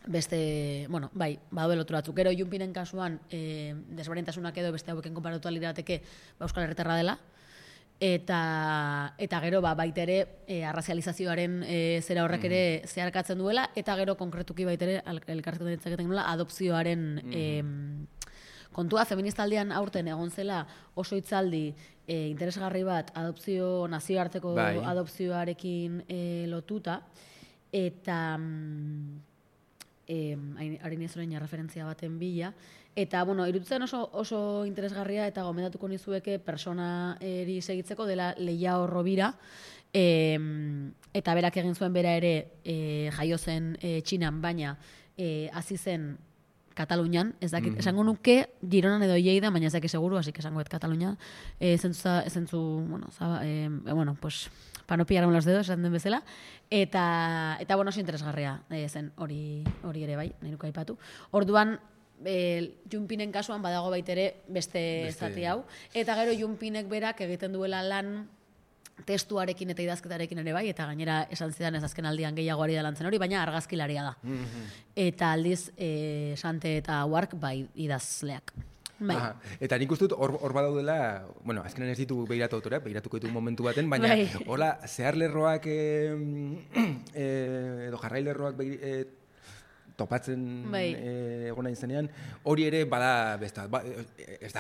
beste, bueno, bai, badaude lotura batzuk. Gero Junpinen kasuan, desberdintasunak edo beste hauekin konparatu lirateke Euskal Herritarra dela, eta gero baita ere arrazializazioaren zera horrek ere zeharkatzen duela, eta gero konkretuki baita ere elkarretan ditzaketen nola adopzioaren kontua. Feministaldian aurten egon zela oso hitzaldi interesgarri bat nazioarteko adopzioarekin lotuta, eta harin ez orain referentzia baten bila. Eta, iruditzen oso interesgarria eta gomendatuko nizueke persona eri segitzeko dela Leia Rovira, eta berak egin zuen bera ere jaio zen Txinan, baina hasi zen Katalunian, ez dakit, esango nuke Gironan edo Lleida, baina ez dakit seguru, así que esango Katalunia, pues para no pillarme los dedos, esan den bezala, eta oso interesgarria zen hori ere bai, nahi nuke aipatu. Orduan, Junpinen kasuan badago baitere beste zati hau, eta gero Junpinek berak egiten duela lan testuarekin eta idazketarekin ere bai, eta gainera esan zidan ez azken aldian gehiago ari da lantzen hori, baina argazkilaria da. Eta aldiz, Sante eta Wark bai idazleak. Bai. Eta nik uste dut hor badaudela, azkenan ez ditu behiratu autoreak, behiratuko ditu momentu baten, baina hola zeharlerroak edo jarrailerroak topatzen egona izanean, hori ere bada ez da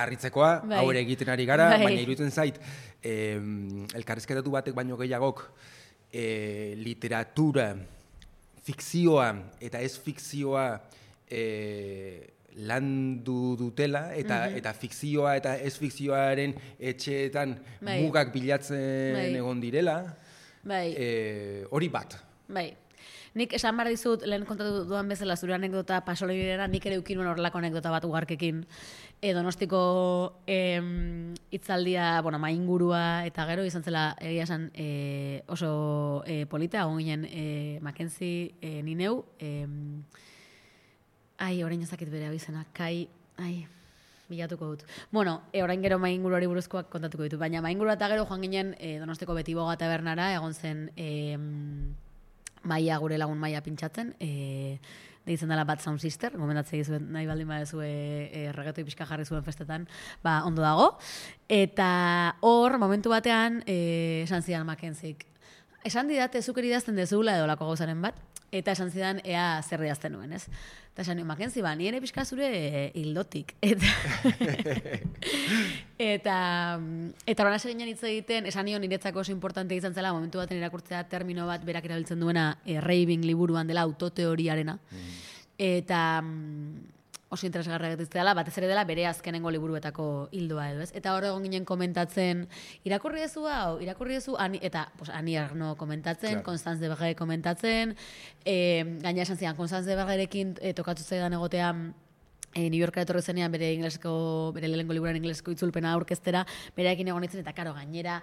harritzekoa, hau ere egiten ari gara, baina iruditzen zait, elkarrizketatu batek baino gehiagok literatura, fikzioa eta ez fikzioa landu dutela, eta fikzioa eta ez fikzioaren etxeetan mugak bilatzen egon direla, hori bat. Bai. Nik esan behar dizut, lehen kontatu duan bezala zure anekdota pasolibirera, nik ere ukin horrelako anekdota bat ugarkekin Donostiko hitzaldia, maingurua, eta gero izan zela egia esan oso polita, egon ginen Mackenzie nineu, orain ezakit bere abizena, bilatuko dut. Orain gero mainguruari buruzkoak kontatuko ditu, baina maingurua eta gero joan ginen Donostiko Betiboga tabernara, egon zen Maia, gure lagun Maia pintxatzen, deitzen dela Bad Sound Sister, gomendatzea izuen nahi baldin badezu regetoi pixka jarri zuen festetan, ondo dago. Eta hor, momentu batean, esan zidan Mackenzik. Esan didate, zuk idazten dezula edo lako gauzaren bat, eta esan zidan ea zer idazten nuen, ez? Eta esan nuen, Mackenzie, ni ere pixka zure hildotik. Eta horan hasi ginen hitz egiten, esan nion niretzako oso importante izan zela, momentu baten irakurtzea termino bat berak erabiltzen duena Raving liburuan dela autoteoriarena. Eta oso interesgarra egiten dela, batez ere dela bere azkenengo liburuetako hildoa edo, ez? Eta hor egon ginen komentatzen, irakurri dezu hau, eta Ani Arno komentatzen, Constance de Berger komentatzen, gaina esan zidan, Constance de Bergerekin tokatu zaidan egotea New Yorkera etorri zenean bere lehenengo liburuan ingleseko itzulpena aurkeztera, berearekin egon nintzen, eta karo, gainera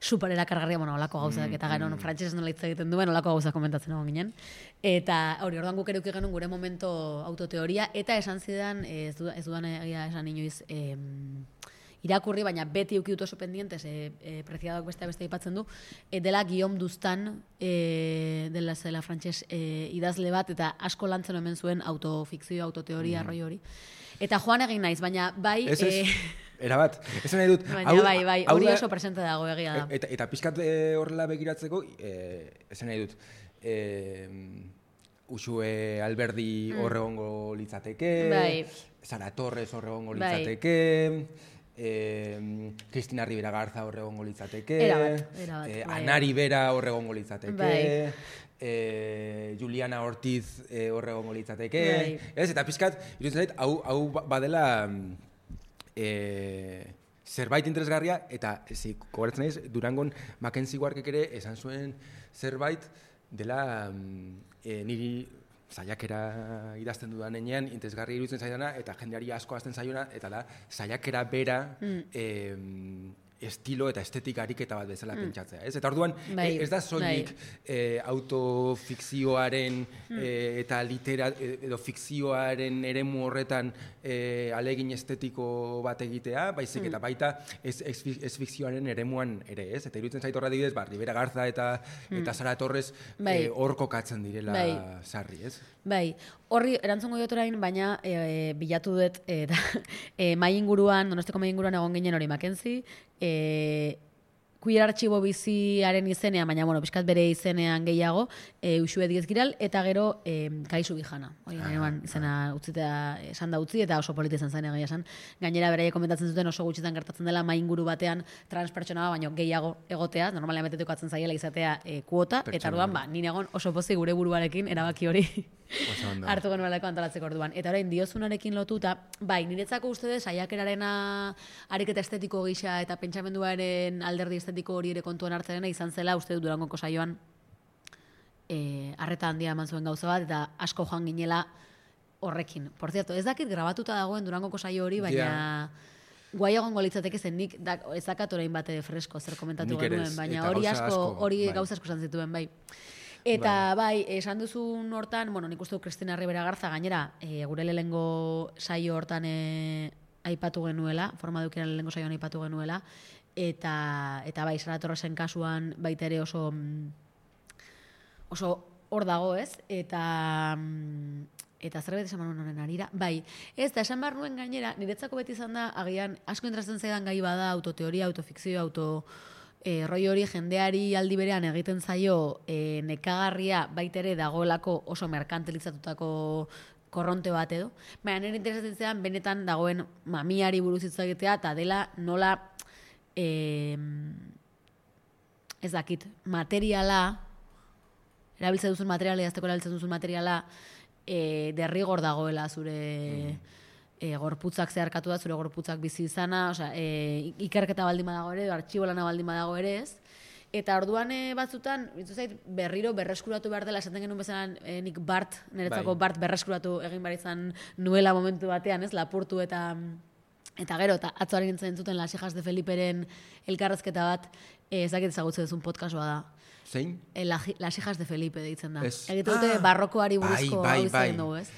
super erakargarria, olako gauzak, eta gero frantxez nola hitz egiten duen, olako gauzak komentatzen egon ginen. Eta hori, orduan guk eruki genuen gure momento autoteoria, eta esan zidan, ez dudan egia esan inoiz, irakurri, baina beti uki dut oso pendientes, Preciadoak beste aipatzen du, dela Guillaume Dustan, dela zela frantxez idazle bat, eta asko lantzen hemen zuen autofikzio, autoteoria, arroi hori. Eta joan egin naiz, baina bai... Erabat, esan nahi dut... Bai, hori oso presente dago egia da. Eta pixkat horrela begiratzeko, esan nahi dut... Uxue Alberdi horregongo litzateke, Sara Torres horregongo litzateke, Cristina Rivera Garza hor egongo litzateke, Erabat, Ana Rivera hor egongo litzateke, Bai. Juliana Ortiz hor egongo litzateke, Bai. ez? Eta pixkat, iruditzen zait, hau badela zerbait interesgarria, eta gogoratzen naiz, Durangon Mackenzie Warkek ere esan zuen zerbait dela niri saiakera idazten dudan enean, interesgarri iruditzen zaidana, eta jendeari asko hasten zaiona, eta da, saiakera bera estilo eta estetika ariketa bat bezala pentsatzea. Ez? Eta orduan, ez da soilik autofikzioaren eta edo fikzioaren eremu horretan alegin estetiko bat egitea, baizik eta baita ez fikzioaren eremuan ere, ez? Eta iruditzen zait horra dibidez, Rivera Garza eta Sara Torres hor kokatzen direla sarri, ez? Bai, horri erantzungo diot orain, baina bilatu dut mai inguruan, Donostiko mai inguruan egon ginen hori Mackenzie, queer artxibo biziaren izenean, baina bueno, pixkat bere izenean gehiago, Uxue Diez Giral, eta gero Kaixu Bijana. Hori izena utzita esan da utzi, eta oso polita izan zen egia esan. Gainera beraiek komentatzen zuten oso gutxitan gertatzen dela mai inguru batean transpertsona baino gehiago egotea, normalean betetukatzen zaiela izatea kuota, eta orduan nire egon oso pozik gure buruarekin erabaki hori hartu genuelako antolatzeko orduan. Eta orain diozunarekin lotuta, bai, niretzako uste dut saiakerarena ariketa estetiko gisa eta pentsamenduaren alderdi estetiko hori ere kontuan hartzearena izan zela uste dut Durangoko saioan arreta handia eman zuen gauza bat, eta asko joan ginela horrekin. Por cierto, ez dakit grabatuta dagoen Durangoko saio hori, baina guai egongo litzateke zen nik ez dakat orain bate fresko zer komentatu genuen, baina hori gauza asko esan zituen, bai. Eta bai, esan duzun hortan, bueno, nik uste du Cristina Rivera Garza gainera, gure lehengo saio hortan aipatu genuela, formadukiaren lehengo saioan aipatu genuela, eta bai, Sara Torresen kasuan baita ere oso hor dago, ez? Eta zerbait esan nuen honen arira. Bai, ez da, esan behar nuen gainera, niretzako beti izan da, agian, asko interesatzen zaidan gai bada, autoteoria, autofikzio, roi hori jendeari aldi berean egiten zaio nekagarria baitere dagoelako oso merkantilizatutako korronte bat edo. Baina nire interesatzen zean benetan dagoen mamiari buruz hitz egitea eta dela nola ez dakit, materiala, erabiltzen duzun materiala, idazteko erabiltzen duzun materiala derrigor dagoela zure gorputzak zeharkatu da, zure gorputzak bizi izana, ikerketa baldin badago ere, artxibo lana baldin badago ere ez. Eta orduan batzutan, zait, berriro berreskuratu behar dela, esaten genuen bezala nik niretzako Bart berreskuratu egin behar izan nuela momentu batean, ez, lapurtu eta gero, eta atzoari nintzen entzuten Las Hijas de Feliperen elkarrezketa bat, ezakit ezagutzen duzun podcastua da. Zein? Las Hijas de Felipe deitzen da. Egite dute barrokoari buruzko hau izan dugu, ez?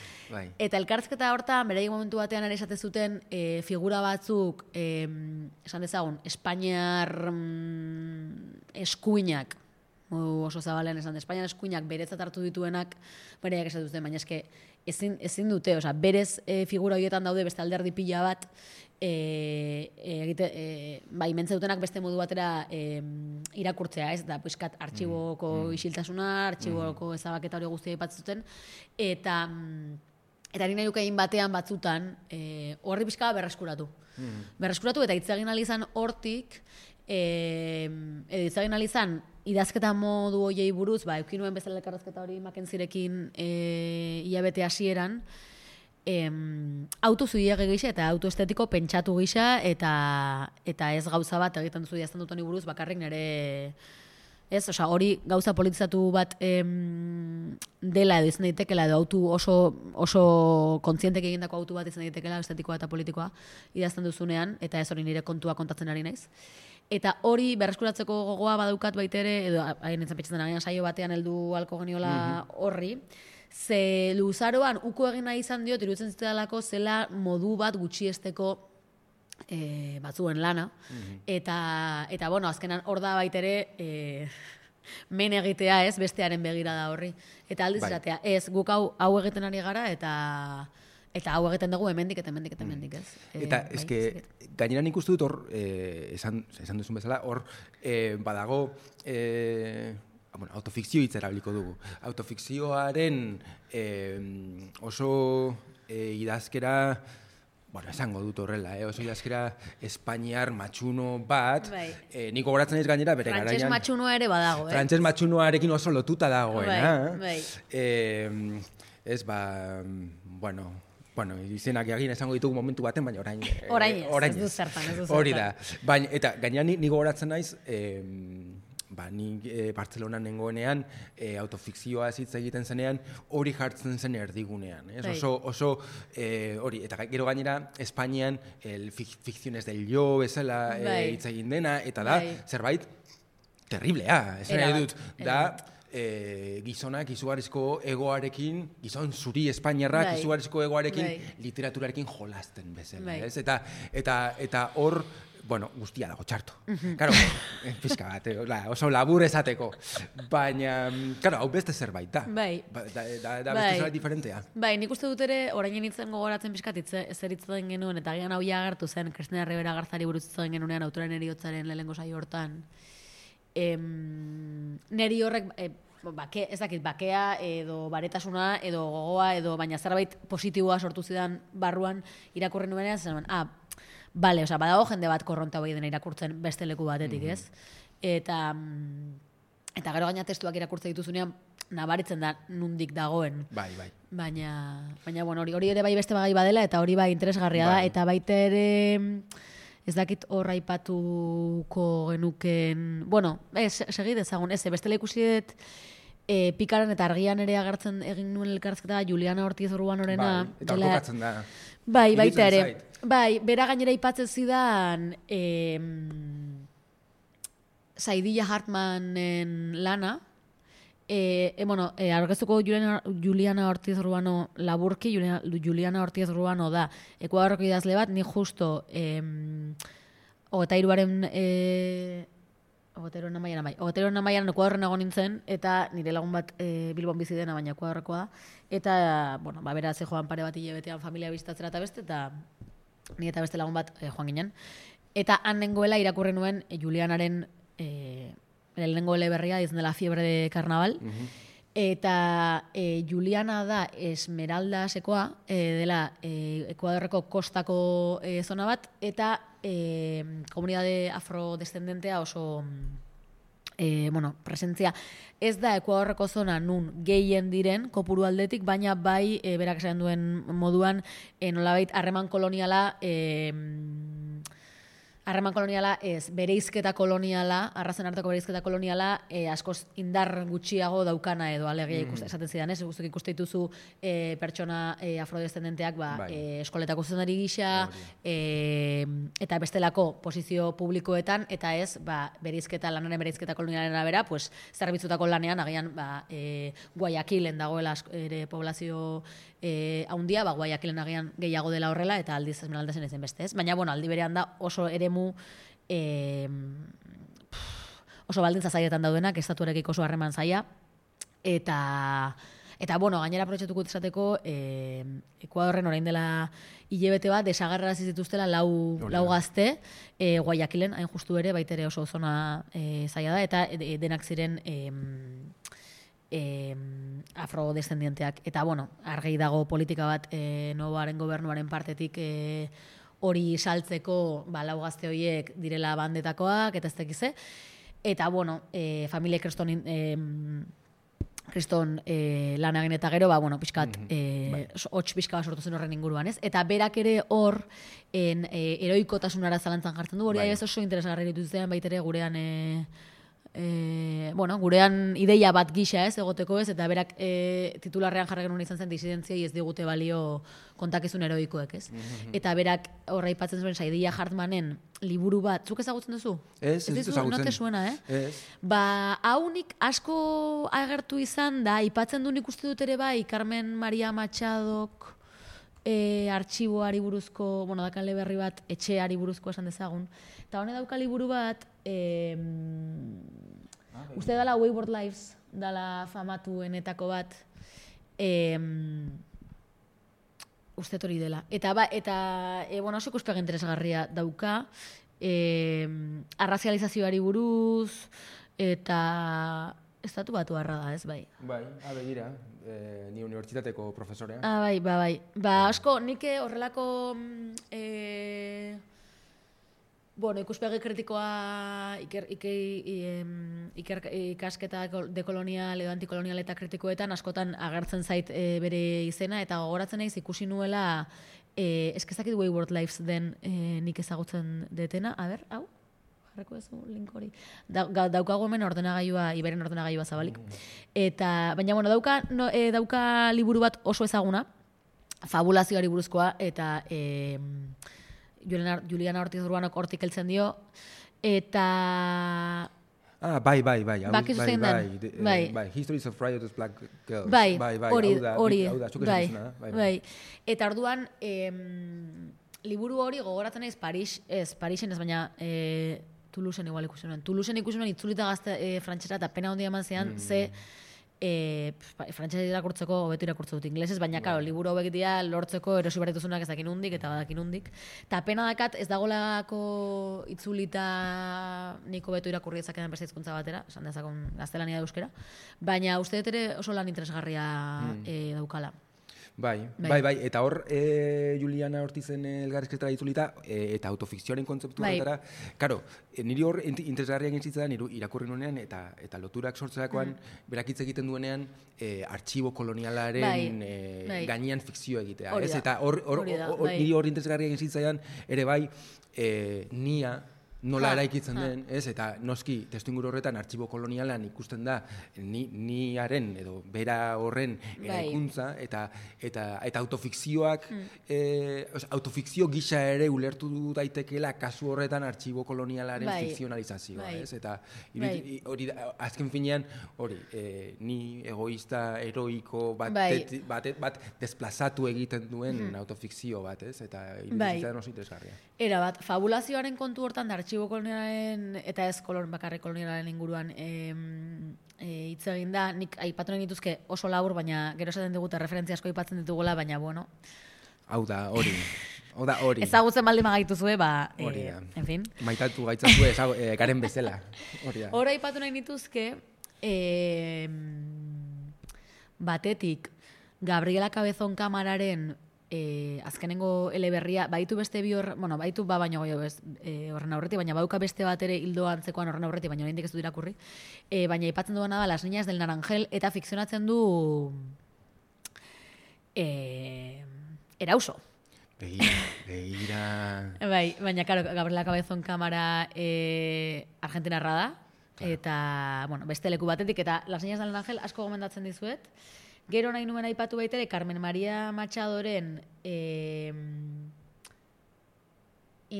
Eta elkarrizketa hortan, beraik momentu batean ere esate zuten figura batzuk, esan dezagun, Espainiar eskuinak, oso zabalean esan, Espainiar eskuinak beretzat hartu dituenak, beraiak esatu zuten, baina eske ezin dute, berez figura horietan daude beste alderdi pila bat, mentze dutenak beste modu batera irakurtzea, ez da, puiskat, artxiboko isiltasuna, artxiboko ezabaketa hori guztia aipatzen zuten, eta nire nukein batean batzutan horri pixka berreskuratu. Berreskuratu eta hitz egin alizan hortik, hitz egin alizan idazketa modu hoiei buruz, eukinuen bezala elkarrezketa hori Mackenzierekin hilabete hasieran, autozuiege gisa eta autoestetiko pentsatu gisa eta ez gauza bat egiten duzu idazten dut honi buruz bakarrik nire ez, hori gauza politizatu bat dela edo izan daitekela edo autu oso kontzientek egindako autu bat izan daitekela estetikoa eta politikoa idazten duzunean eta ez hori nire kontua kontatzen ari naiz. Eta hori berreskuratzeko gogoa badaukat baitere edo hain nintzen petxetan agian saio batean heldu alko geniola horri. Ze luzaroan uko egin nahi izan diot, iruditzen zitadalako zela modu bat gutxiesteko batzuen lana. Eta bueno, azkenan hor da baitere men egitea ez, bestearen begirada horri. Eta aldiz eratea, ez, guk hau egiten ari gara eta hau egiten dugu hemendik eta hemendik ez. Eta eske, gainera nik uste dut hor, esan duzun bezala, hor badago autofikzio hitz erabiliko dugu. Autofikzioaren oso idazkera bueno, esango dut horrela, oso jaskera Espainiar matxuno bat, Bai. nik gogoratzen ez gainera bere Frantses garaian. matxunoa ere badago, Frantses matxunoarekin oso lotuta dagoena. Bai. Ez, bueno, izenak egin esango ditugu momentu baten, baina orain ez du zertan. Hori da. Baina, eta gainera ni gogoratzen naiz, nik Bartzelonan nengoenean autofikzioa hitz egiten zenean hori jartzen zen erdigunean. Oso hori, eta gero gainera Espainian fikziones del yo bezala hitz egin dena, eta da zerbait terriblea. Esan nahi dut, da gizonak izugarrizko egoarekin, gizon zuri Espainiarrak izugarrizko egoarekin literaturarekin jolasten bezala. Eta hor, bueno, guztia dago txarto. Claro, pizka bat, oso labur esateko. Baina, claro, hau beste zerbait da. Bai. Da beste zerbait diferentea. Bai, nik uste dut ere, orain nintzen gogoratzen pizkat zer hitzen genuen, eta gian hau agertu zen, Cristina Rivera Garzari buruz hitzen genunean autoraren heriotzaren lehenengo saio hortan. Neri horrek, ez dakit, bakea edo baretasuna edo gogoa edo baina zerbait positiboa sortu zidan barruan irakurri nuenean zen, bale, badago jende bat korronta hori dena irakurtzen beste leku batetik, ez? Eta gero gaina testuak irakurtzen dituzunean nabaritzen da nundik dagoen. Bai. Baina bueno, hori ere bai beste bagai badela eta hori bai interesgarria da eta baita ere ez dakit hor aipatuko genuken, bueno, segi dezagun, bestela ikusi dut Pikaran eta Argian ere agertzen egin nuen elkarrizketa Juliana Ortiz Urbanorena. Bai, eta kokatzen da. Bai, baita ere. Bai, bera gainera aipatzen zidan Saidiya Hartmanen lana. Aurkeztuko Juliana Ortiz Urbano laburki, Juliana Ortiz Urbano da Ekuadorreko idazle bat, ni justo 23 Amaiaran Ekuadorren nago nintzen, eta nire lagun bat Bilbon bizi dena, baina Ekuadorrekoa da. Eta, bera ze joan pare bat hilabetean familia bizitatzera eta beste, eta ni eta beste lagun bat joan ginen. Eta han nengoela irakurri nuen Julianaren lehenengo eleberria, izan dela Fiebre de Carnaval. Eta Juliana da Esmeraldasekoa, dela Ekuadorreko kostako zona bat, eta komunidade afrodescendentea oso presentzia. Ez da Ekuadorreko zona nun gehien diren kopuru aldetik, baina bai berak esan duen moduan nolabait harreman koloniala ez, bereizketa koloniala, arrazen arteko bereizketa koloniala, askoz indar gutxiago daukana edo alegia esaten zidan, ez? Guztuk ikuste dituzu pertsona afrodescendenteak eskoletako zuzendari gisa, eta bestelako posizio publikoetan, eta ez, lanaren bereizketa kolonialaren arabera, zerbitzutako lanean, agian, Guayaquilen dagoela ere poblazio haundia, Guayaquilen agian gehiago dela horrela, eta aldiz Esmeraldasen ezen beste, ez? Baina, aldi berean da oso eremu oso baldintza zailetan daudenak, estatuarekiko oso harreman zaila, eta gainera aprobetxatuko esateko Ekuadorren orain dela hilabete bat desagerrarazi zituztela lau gazte Guayaquilen, hain justu ere, baitere oso zona zaila da, eta denak ziren afrodescendienteak. Eta, argi dago politika bat Novoaren gobernuaren partetik hori saltzeko lau gazte horiek direla bandetakoak, eta ez dakize. Eta, familia kriston lan egin eta gero, pixkat, hotx pixka sortu zen horren inguruan, ez? Eta berak ere hor, heroikotasunara zalantzan jartzen du, hori ez oso interesgarri dituztean baitere gurean gurean ideia bat gisa ez, egoteko ez, eta berak titularrean jarri genuen izan zen disidentziai ez digute balio kontakizun heroikoek, ez? Eta berak horra aipatzen zuen Saidiya Hartmanen liburu bat, zuk ezagutzen duzu? Ez ezagutzen. No te suena, Ez. Haunik asko agertu izan da, aipatzen du nik uste dut ere bai, Carmen Maria Machadok artxiboari buruzko, dakale berri bat, etxeari buruzko esan dezagun. Eta hone dauka liburu bat, uste dala Wayward Lives, dala famatuenetako bat, uste hori dela. Eta oso ikuspegi interesgarria dauka, arrazializazioari buruz, eta estatu batuarra da, ez, bai. Bai, begira, ni unibertsitateko profesorea. Bai. Asko, nik horrelako ikuspegi kritikoa ikasketa dekolonial edo antikolonial eta kritikoetan askotan agertzen zait bere izena, eta gogoratzen naiz ikusi nuela eskezakit Wayward Lives den nik ezagutzen detena. A ber, hau? Jarreko ez link hori. Daukago hemen ordenagailua, Iberen ordenagailua zabalik. Baina, dauka liburu bat oso ezaguna, fabulazioari buruzkoa, eta Juliana Ortiz Urbanok hortik heltzen dio, eta... Bai. Bakizu zein den. Bai, Histories of Riotous Black Girls. Bai, hori. Bai. Eta orduan, liburu hori gogoratzen naiz Parisen ez, baina Toulousen igual ikusi nuen. Toulousen ikusi nuen itzulita gazte frantsesa, eta pena handia eman zean, ze frantsesa irakurtzeko hobeto irakurtze dut ingelesez, baina karo, liburu hauek dira lortzeko erosi behar dituzunak ez dakin hundik eta badakin hundik. Eta pena dakat ez dagolako itzulita nik hobeto irakurri dezakedan beste hizkuntza batera, esan dezakon gaztelania da euskera, baina uste dut ere oso lan interesgarria daukala. Bai. Eta hor, Juliana Ortizen elgarrizketara itzulita, eta autofikzioaren kontzeptu horretara, karo, niri hor interesgarria egin zitzaidan irakurri nuenean, eta loturak sortzerakoan, berak hitz egiten duenean, artxibo kolonialaren gainean fikzio egitea. Eta niri hor interesgarria egin zitzaidan, ere bai, nia, nola eraikitzen den, eta noski testuinguru horretan artxibo kolonialan ikusten da niaren edo bera horren eraikuntza eta autofikzioak autofikzio gisa ere ulertu daitekeela kasu horretan artxibo kolonialaren fikzionalizazioa, eta hori azken finean hori ni egoista heroiko bat desplazatu egiten duen autofikzio bat, eta iruditzen oso interesgarria. Era bat, fabulazioaren kontu hortan da artxibo kolonialaren eta ez bakarrik kolonialaren inguruan hitz egin da, nik aipatu nahi dituzke oso labur, baina gero esaten digute referentzia asko aipatzen ditugula, baina bueno. Hau da, hori. Ezagutzen baldin magaituzue, en fin. Maitatu gaitzazue garen bezala. Hora aipatu nahi dituzke, batetik, Gabriela Cabezón kamararen azkenengo eleberria, baitu beste bi baitu baino goio horren aurretik, baina bauka beste bat ere hildo antzekoan horren aurretik, baina oraindik ez du irakurri. Baina aipatzen duena da Las niñas del naranjel, eta fikzionatzen du Erauso. Begira. Baina, claro, Gabriela Cabezón kamara argentinarra da, eta, beste leku batetik, eta Las niñas del naranjel asko gomendatzen dizuet. Gero nahi nuen aipatu baitere, Carmen María Machadoren In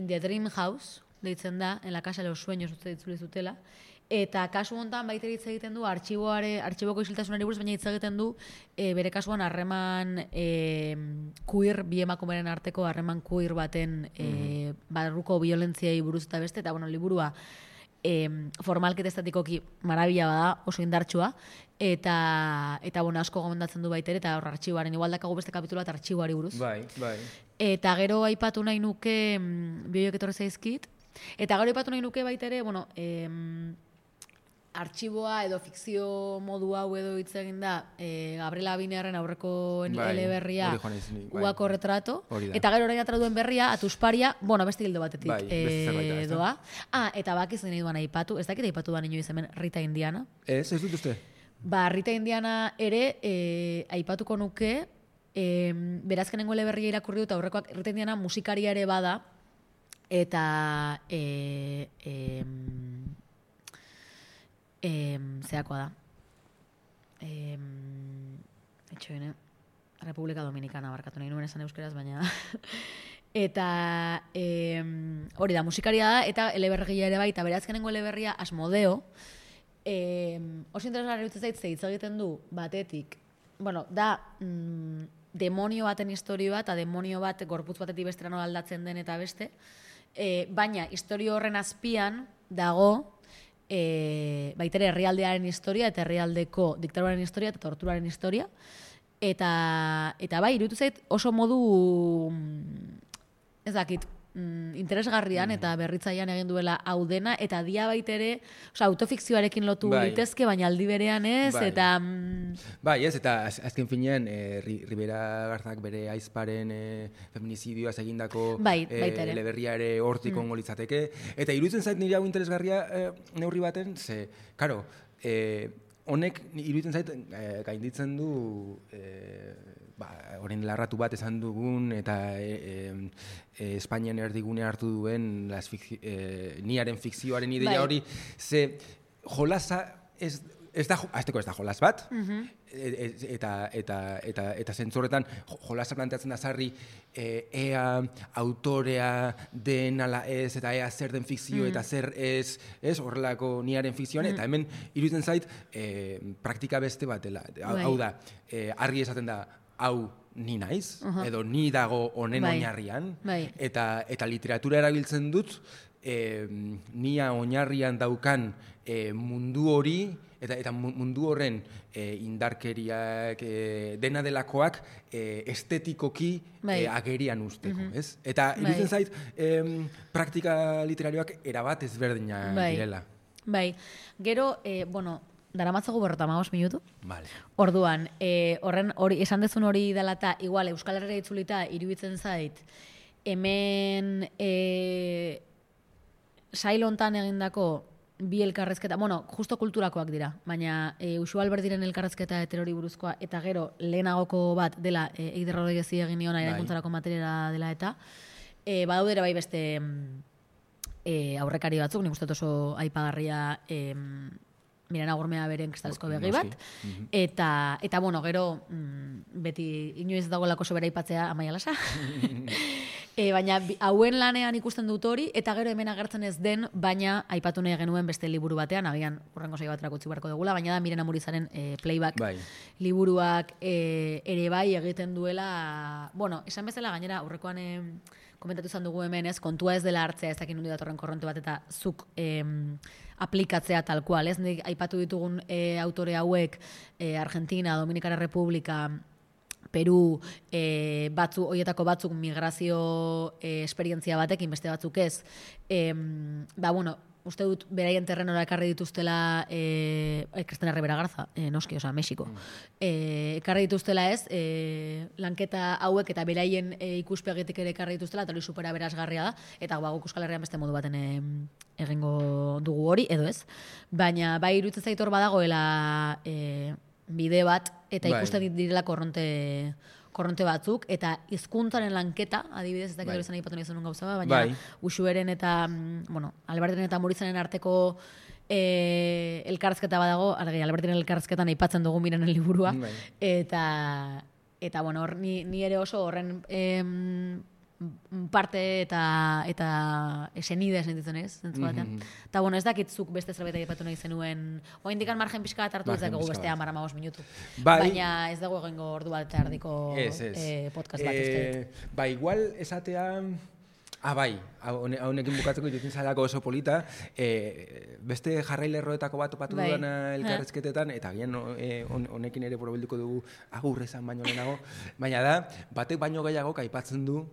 the Dream House, deitzen da, en la casa de los sueños uste ditzuli zutela, eta kasu hontan baitere hitz egiten du artxiboko isiltasunari buruz, baina hitz egiten du bere kasuan harreman queer, bi emakumeren arteko harreman queer baten barruko violentziai buruz eta beste, eta liburua formalketa estatikoki marabila bada, oso indartsua, eta asko gomendatzen du baitere, eta hor artxiboaren, igual dakagu beste kapitula eta artxiboari buruz. Bai. Eta gero aipatu nahi nuke, bioiek etorri zaizkit, eta gero aipatu nahi nuke baitere, artxiboa edo fikzio modu hau edo hitz egin da Gabriela Abinearren aurreko eleberria Uako retrato, eta gero orain atera duen berria Atusparia, beste hildo batetik doa. Eta bakizu nahi duan aipatu, ez dakit aipatu da inoiz hemen Rita Indiana. Ez dut uste? Rita Indiana ere aipatuko nuke, berazkenengo eleberria irakurri dut, aurrekoak Rita Indiana musikaria ere bada, eta zeakoa da. Etxoene, Republika Dominicana barkatu nahi nuen esan euskeraz, baina... Eta hori da, musikaria da, eta eleberria ere bai, eta berazkenengo eleberria Asmodeo, oso interesgarri utzez zaitze hitz egiten du batetik, da demonio baten historio bat, eta demonio bat gorputz batetik bestera nola aldatzen den eta beste, baina historio horren azpian dago baitere herrialdearen historia eta herrialdeko diktaduraren historia eta torturaren historia, eta bai, iruditu zait oso modu ez dakit, interesgarrian eta berritzailean egin duela hau dena, eta dia baitere, autofikzioarekin lotu litezke, baina aldi berean ez, eta... Bai, ez, eta azken finean, Ribera Garzak bere aizparen feminizidioaz egindako eleberria ere hortik ongo litzateke, eta iruditzen zait nire hau interesgarria neurri baten, ze, karo, honek iruditzen zait gainditzen du orain larratu bat esan dugun eta Espainian erdigune hartu duen niaren fikzioaren ideia hori, ze jolasa ez da jolas bat, eta zentzorretan jolasa planteatzen da sarri ea autorea den ala ez, eta ea zer den fikzio eta zer ez horrelako niaren fikzioan, eta hemen iruditzen zait praktika beste bat dela. Hau da, argi esaten da, hau ni naiz, edo ni dago honen oinarrian, eta literatura erabiltzen dut nia oinarrian daukan mundu hori, eta mundu horren indarkeriak dena delakoak estetikoki agerian usteko, ez? Eta iruditzen zait praktika literarioak erabat ezberdina direla. Bai, gero, daramatzagu 55 minutu. Vale. Orduan, horren hori esan dezun hori dela eta igual Euskal Herria itzulita iruditzen zait hemen sail hontan egindako bi elkarrezketa, justo kulturakoak dira, baina Uxu Alberdiren elkarrezketa heterori buruzkoa, eta gero lehenagoko bat dela Eider Rodriguezi egin niona erakuntzarako materiala dela eta badaudera bai beste aurrekari batzuk, nik uste oso aipagarria Mirana Gurmea beren kristalezko begi bat, eta gero, beti inoiz dagoelako sobera aipatzea Amaia Lasa, baina hauen lanean ikusten dut hori, eta gero hemen agertzen ez den, baina aipatu nahi genuen beste liburu batean, agian urrengo saio baterako utzi beharko dugula, baina da Mirena Murizaren playback liburuak ere bai egiten duela, esan bezala gainera aurrekoan komentatu izan dugu hemen ez, kontua ez dela hartzea ez dakin nundi datorren korronte bat, eta zuk aplikatzea tal kual, ez? Nik aipatu ditugun autore hauek Argentina, Dominikana Republika, Peru, hoietako batzuk migrazio esperientzia batekin, beste batzuk ez. Uste dut beraien terrenora ekarri dituztela Cristina Rivera Garza, noski, Mexiko. Ekarri dituztela ez, lanketa hauek eta beraien ikuspegitik ere ekarri dituztela, eta hori supera berazgarria da, eta guk Euskal Herrian beste modu baten egingo dugu hori, edo ez. Baina bai iruditzen zait hor badagoela bide bat, eta ikusten direla korronte batzuk, eta hizkuntzaren lanketa, adibidez, ez dakit hori zen aipatu nahi zenun gauza bat, baina Uxueren eta, Albertiren eta Murizaren arteko elkarrezketa badago, Albertiren elkarrezketan aipatzen dugu Mirenen liburua, eta hor, ni ere oso horren parte eta esenide sentitzen ez, zentzu batean. Eta ez dakitzuk beste zerbait aipatu nahi zenuen, oindikan margen pixka bat hartu ezakegu beste 10-15 minutu. Baina ez dago egingo ordu bat eta erdiko podcast bat uste. Igual esatea... Haunekin bukatzeko iruditzen zalako oso polita, beste jarrailerroetako bat topatu dudana elkarrezketetan, eta gian honekin ere borobilduko dugu agurrezan baino lehenago, baina da, batek baino gehiago aipatzen du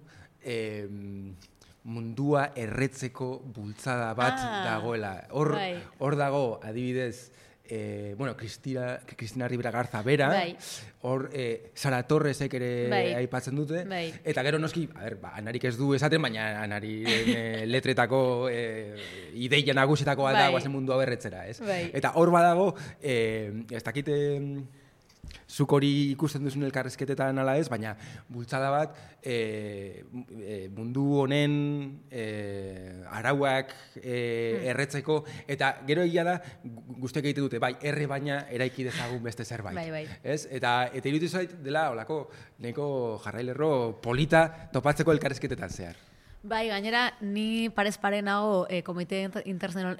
mundua erretzeko bultzada bat dagoela. Hor dago, adibidez, Cristina Rivera Garza bera, hor Sara Torresek ere aipatzen dute, eta gero noski, anarik ez du esaten, baina anariren letretako ideia nagusitakoa da guazen mundua berretzera, ez? Eta hor badago, ez dakite zuk hori ikusten duzun elkarrezketetan ala ez, baina bultzada bat mundu honen arauak erretzeko, eta gero egia da guztiak egite dute, erre baina eraiki dezagun beste zerbait. Eta iruditzen zait dela olako neko jarrailerro polita topatzeko elkarrezketetan zehar. Gainera, ni parez pare nago komite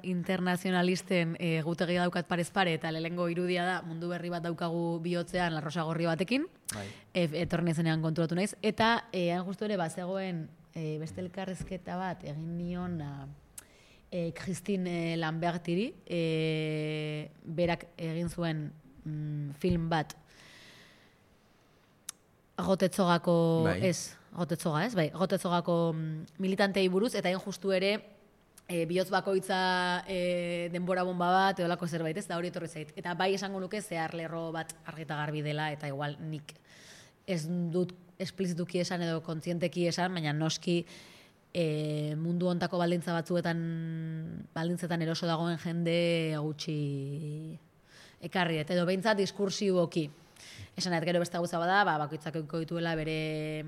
internazionalisten gutegia daukat parez pare, eta lehengo irudia da mundu berri bat daukagu bihotzean larrosa gorri batekin, etorren ezenean konturatu naiz, eta justu ere bazegoen beste elkarrezketa bat egin nion Christine Lambertiri, berak egin zuen film bat Agotetzogako, Gotetzoga, ez? Bai, Gotetzogako militantei buruz, eta hain justu ere, bihotz bakoitza denbora bomba bat, eolako zerbait, ez da hori etorri zait. Eta bai esango nuke zehar lerro bat argita garbi dela, eta igual nik ez dut esplizituki esan edo kontzienteki esan, baina noski mundu hontako baldintzetan eroso dagoen jende gutxi ekarri, edo behintzat diskursiboki. Esan gero beste gauza bada, bakoitzak eukiko dituela bere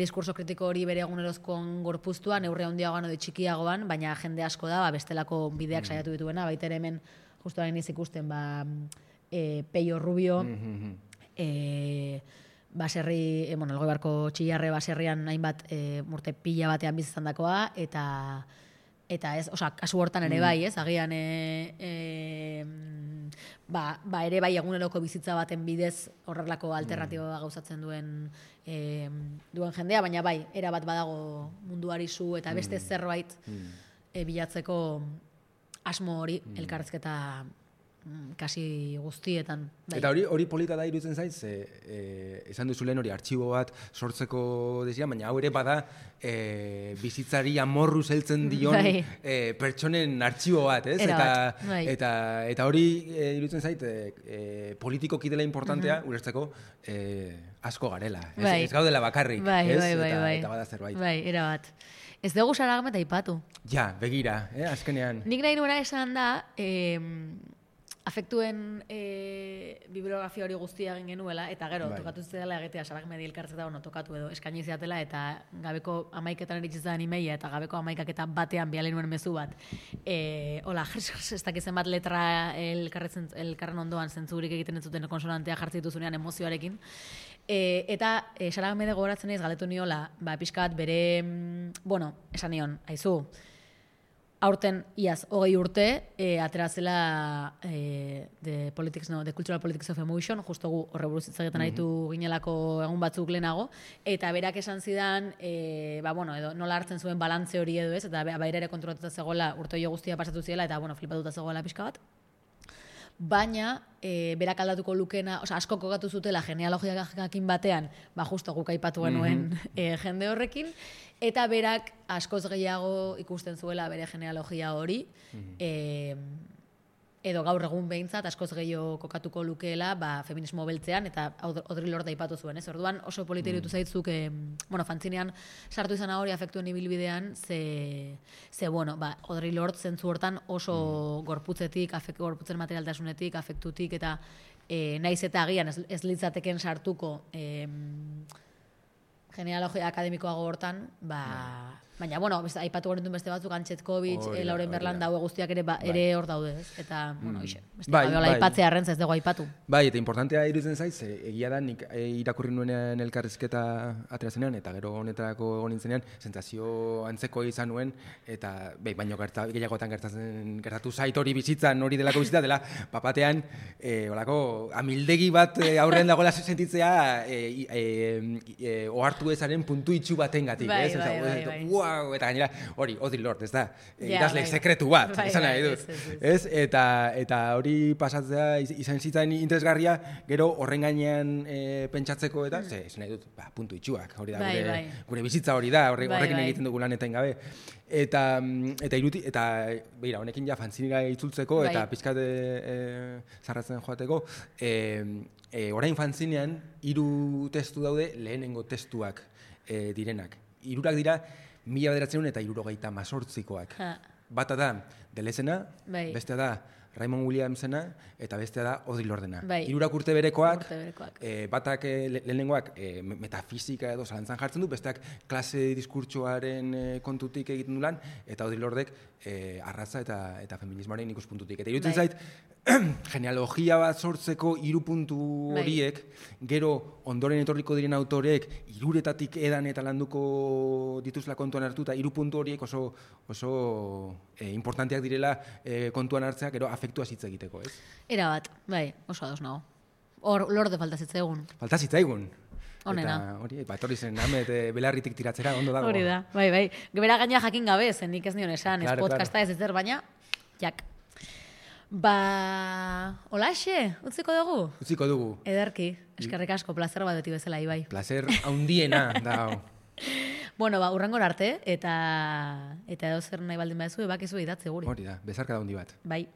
diskurso kritiko hori bere egunerozkoan gorpuztuan, neurri handiagoan edo txikiagoan, baina jende asko da, bestelako bideak saiatu dituena, baita ere hemen justu hain ikusten, Peio Rubio, baserri, Elgoi Barko Txillarre baserrian hainbat urte pila batean bizizan dakoa, eta ez, kasu hortan ere bai, ez, agian ere bai eguneroko bizitza baten bidez horrelako alternatiboa gauzatzen duen jendea, baina bai, erabat badago munduari zu eta beste zerbait bilatzeko asmo hori elkarrizketa kasi guztietan. Bai. Eta hori polita da iruditzen zait, esan duzu lehen hori artxibo bat sortzeko desia, baina hau ere bada bizitzari amorru heltzen dion pertsonen artxibo bat, ez? Eta hori iruditzen zait politikoki dela importantea ulertzeko asko garela. Ez gaudela bakarrik, ez? Eta bada zerbait. Bai, erabat. Ez dugu Saragame aipatu. Ja, begira, azkenean. Nik nahi nuena esan da, afektuen bibliografia hori guztia egin genuela, eta gero, tokatu zidela egitea Saragame elkartzeta tokatu edo eskaini ziatela, eta gabeko 11etan eritzitzen imeia, eta gabeko 11 batean bialen nuen mezu bat. Hola, ez dakizen bat letra elkarren ondoan zentzurik egiten ez zuten konsonantea jartzen dituzunean emozioarekin. Eta Saragame gogoratzen ez galetu niola, pixkat bere, esan nion, aizu, aurten iaz 20 urte aterazela The Cultural Politics of Emotion, justo gu horre buruz hitz egiten aritu ginelako egun batzuk lehenago, eta berak esan zidan, edo nola hartzen zuen balantze hori edo ez, eta baira ere kontrolatuta zegoela urte hori guztia pasatu ziela, eta flipatuta zegoela pixka bat. Baina, berak aldatuko lukena, asko kokatu zutela genealogiakin batean, justo guk aipatu genuen jende horrekin, eta berak askoz gehiago ikusten zuela bere genealogia hori, edo gaur egun behintzat askoz gehiago kokatuko lukeela feminismo beltzean, eta Audre Lorde aipatu zuen, ez? Orduan oso polita iruditu zaitzuk, fantzinean sartu izan hori afektuen ibilbidean, Audre Lorde zentzu hortan oso gorputzetik, gorputzen materialtasunetik, afektutik, eta naiz eta agian ez litzateken sartuko genealogia akademikoago hortan, baina, aipatu gorentun beste batzuk, Antxetkovitz, Lauren Berlanda, hau guztiak ere hor daude, ez? Eta, beste gabiola aipatzea arrentza ez dugu aipatu. Bai, eta importantea iruditzen zaiz, egia da, nik irakurri nuenean elkarrizketa aterazenean, eta gero honetarako egon nintzenean, sentsazio antzeko izan nuen, eta, baino gehiagotan gertatu zait hori bizitzan, hori delako bizitza, dela, papatean, olako, amildegi bat aurrean dagoela sentitzea, ohartu ezaren puntu itxu batengatik, ez? Eta gainera, hori, Audre Lorde, ez da, idazle sekretu bat, esan nahi dut. Eta hori pasatzea izan zitzaidan interesgarria, gero horren gainean pentsatzeko eta, esan nahi dut, puntu itxuak, hori da, gure bizitza hori da, horrekin egiten dugu lanetan gabe. Eta begira, honekin ja fantzinera itzultzeko eta pizkat zarratzen joateko, orain fantzinean 3 testu daude lehenengo testuak direnak. 3 dira 1978koak. Bata da Delezena, bestea da Raymond Williamsena eta bestea da Audre Lordena. 3 urte berekoak, batak lehenengoak metafisika edo zalantzan jartzen du, besteak klase diskurtsoaren kontutik egiten du lan, eta Audre Lordek arraza eta feminismoaren ikuspuntutik. Eta iruditzen zait, genealogia bat sortzeko 3 puntu horiek, gero ondoren etorriko diren autorek 3 edan eta landuko dituzla kontuan hartu, eta 3 puntu horiek oso importanteak direla kontuan hartzea, gero afektua hitz egiteko, ez? Erabat, bai, oso ados nago. Hor, Lorde falta zitzaigun. Falta zitzaigun. Honena. Eta hori, etorri zen Amet belarritik tiratzera, ondo dago. Hori da, bai. Gebera gaina jakin gabe, zen nik ez nion esan, ez podcasta ez ezer, baina, jak. Holaxe, utziko dugu? Utziko dugu. Ederki, eskerrik asko, plazer bat beti bezala, Ibai. Placer haundiena da. Bueno, urrengor arte, eta edo zer nahi baldin badezu, bakizu idatze guri. Hori da, bezarka da handi bat. Bai.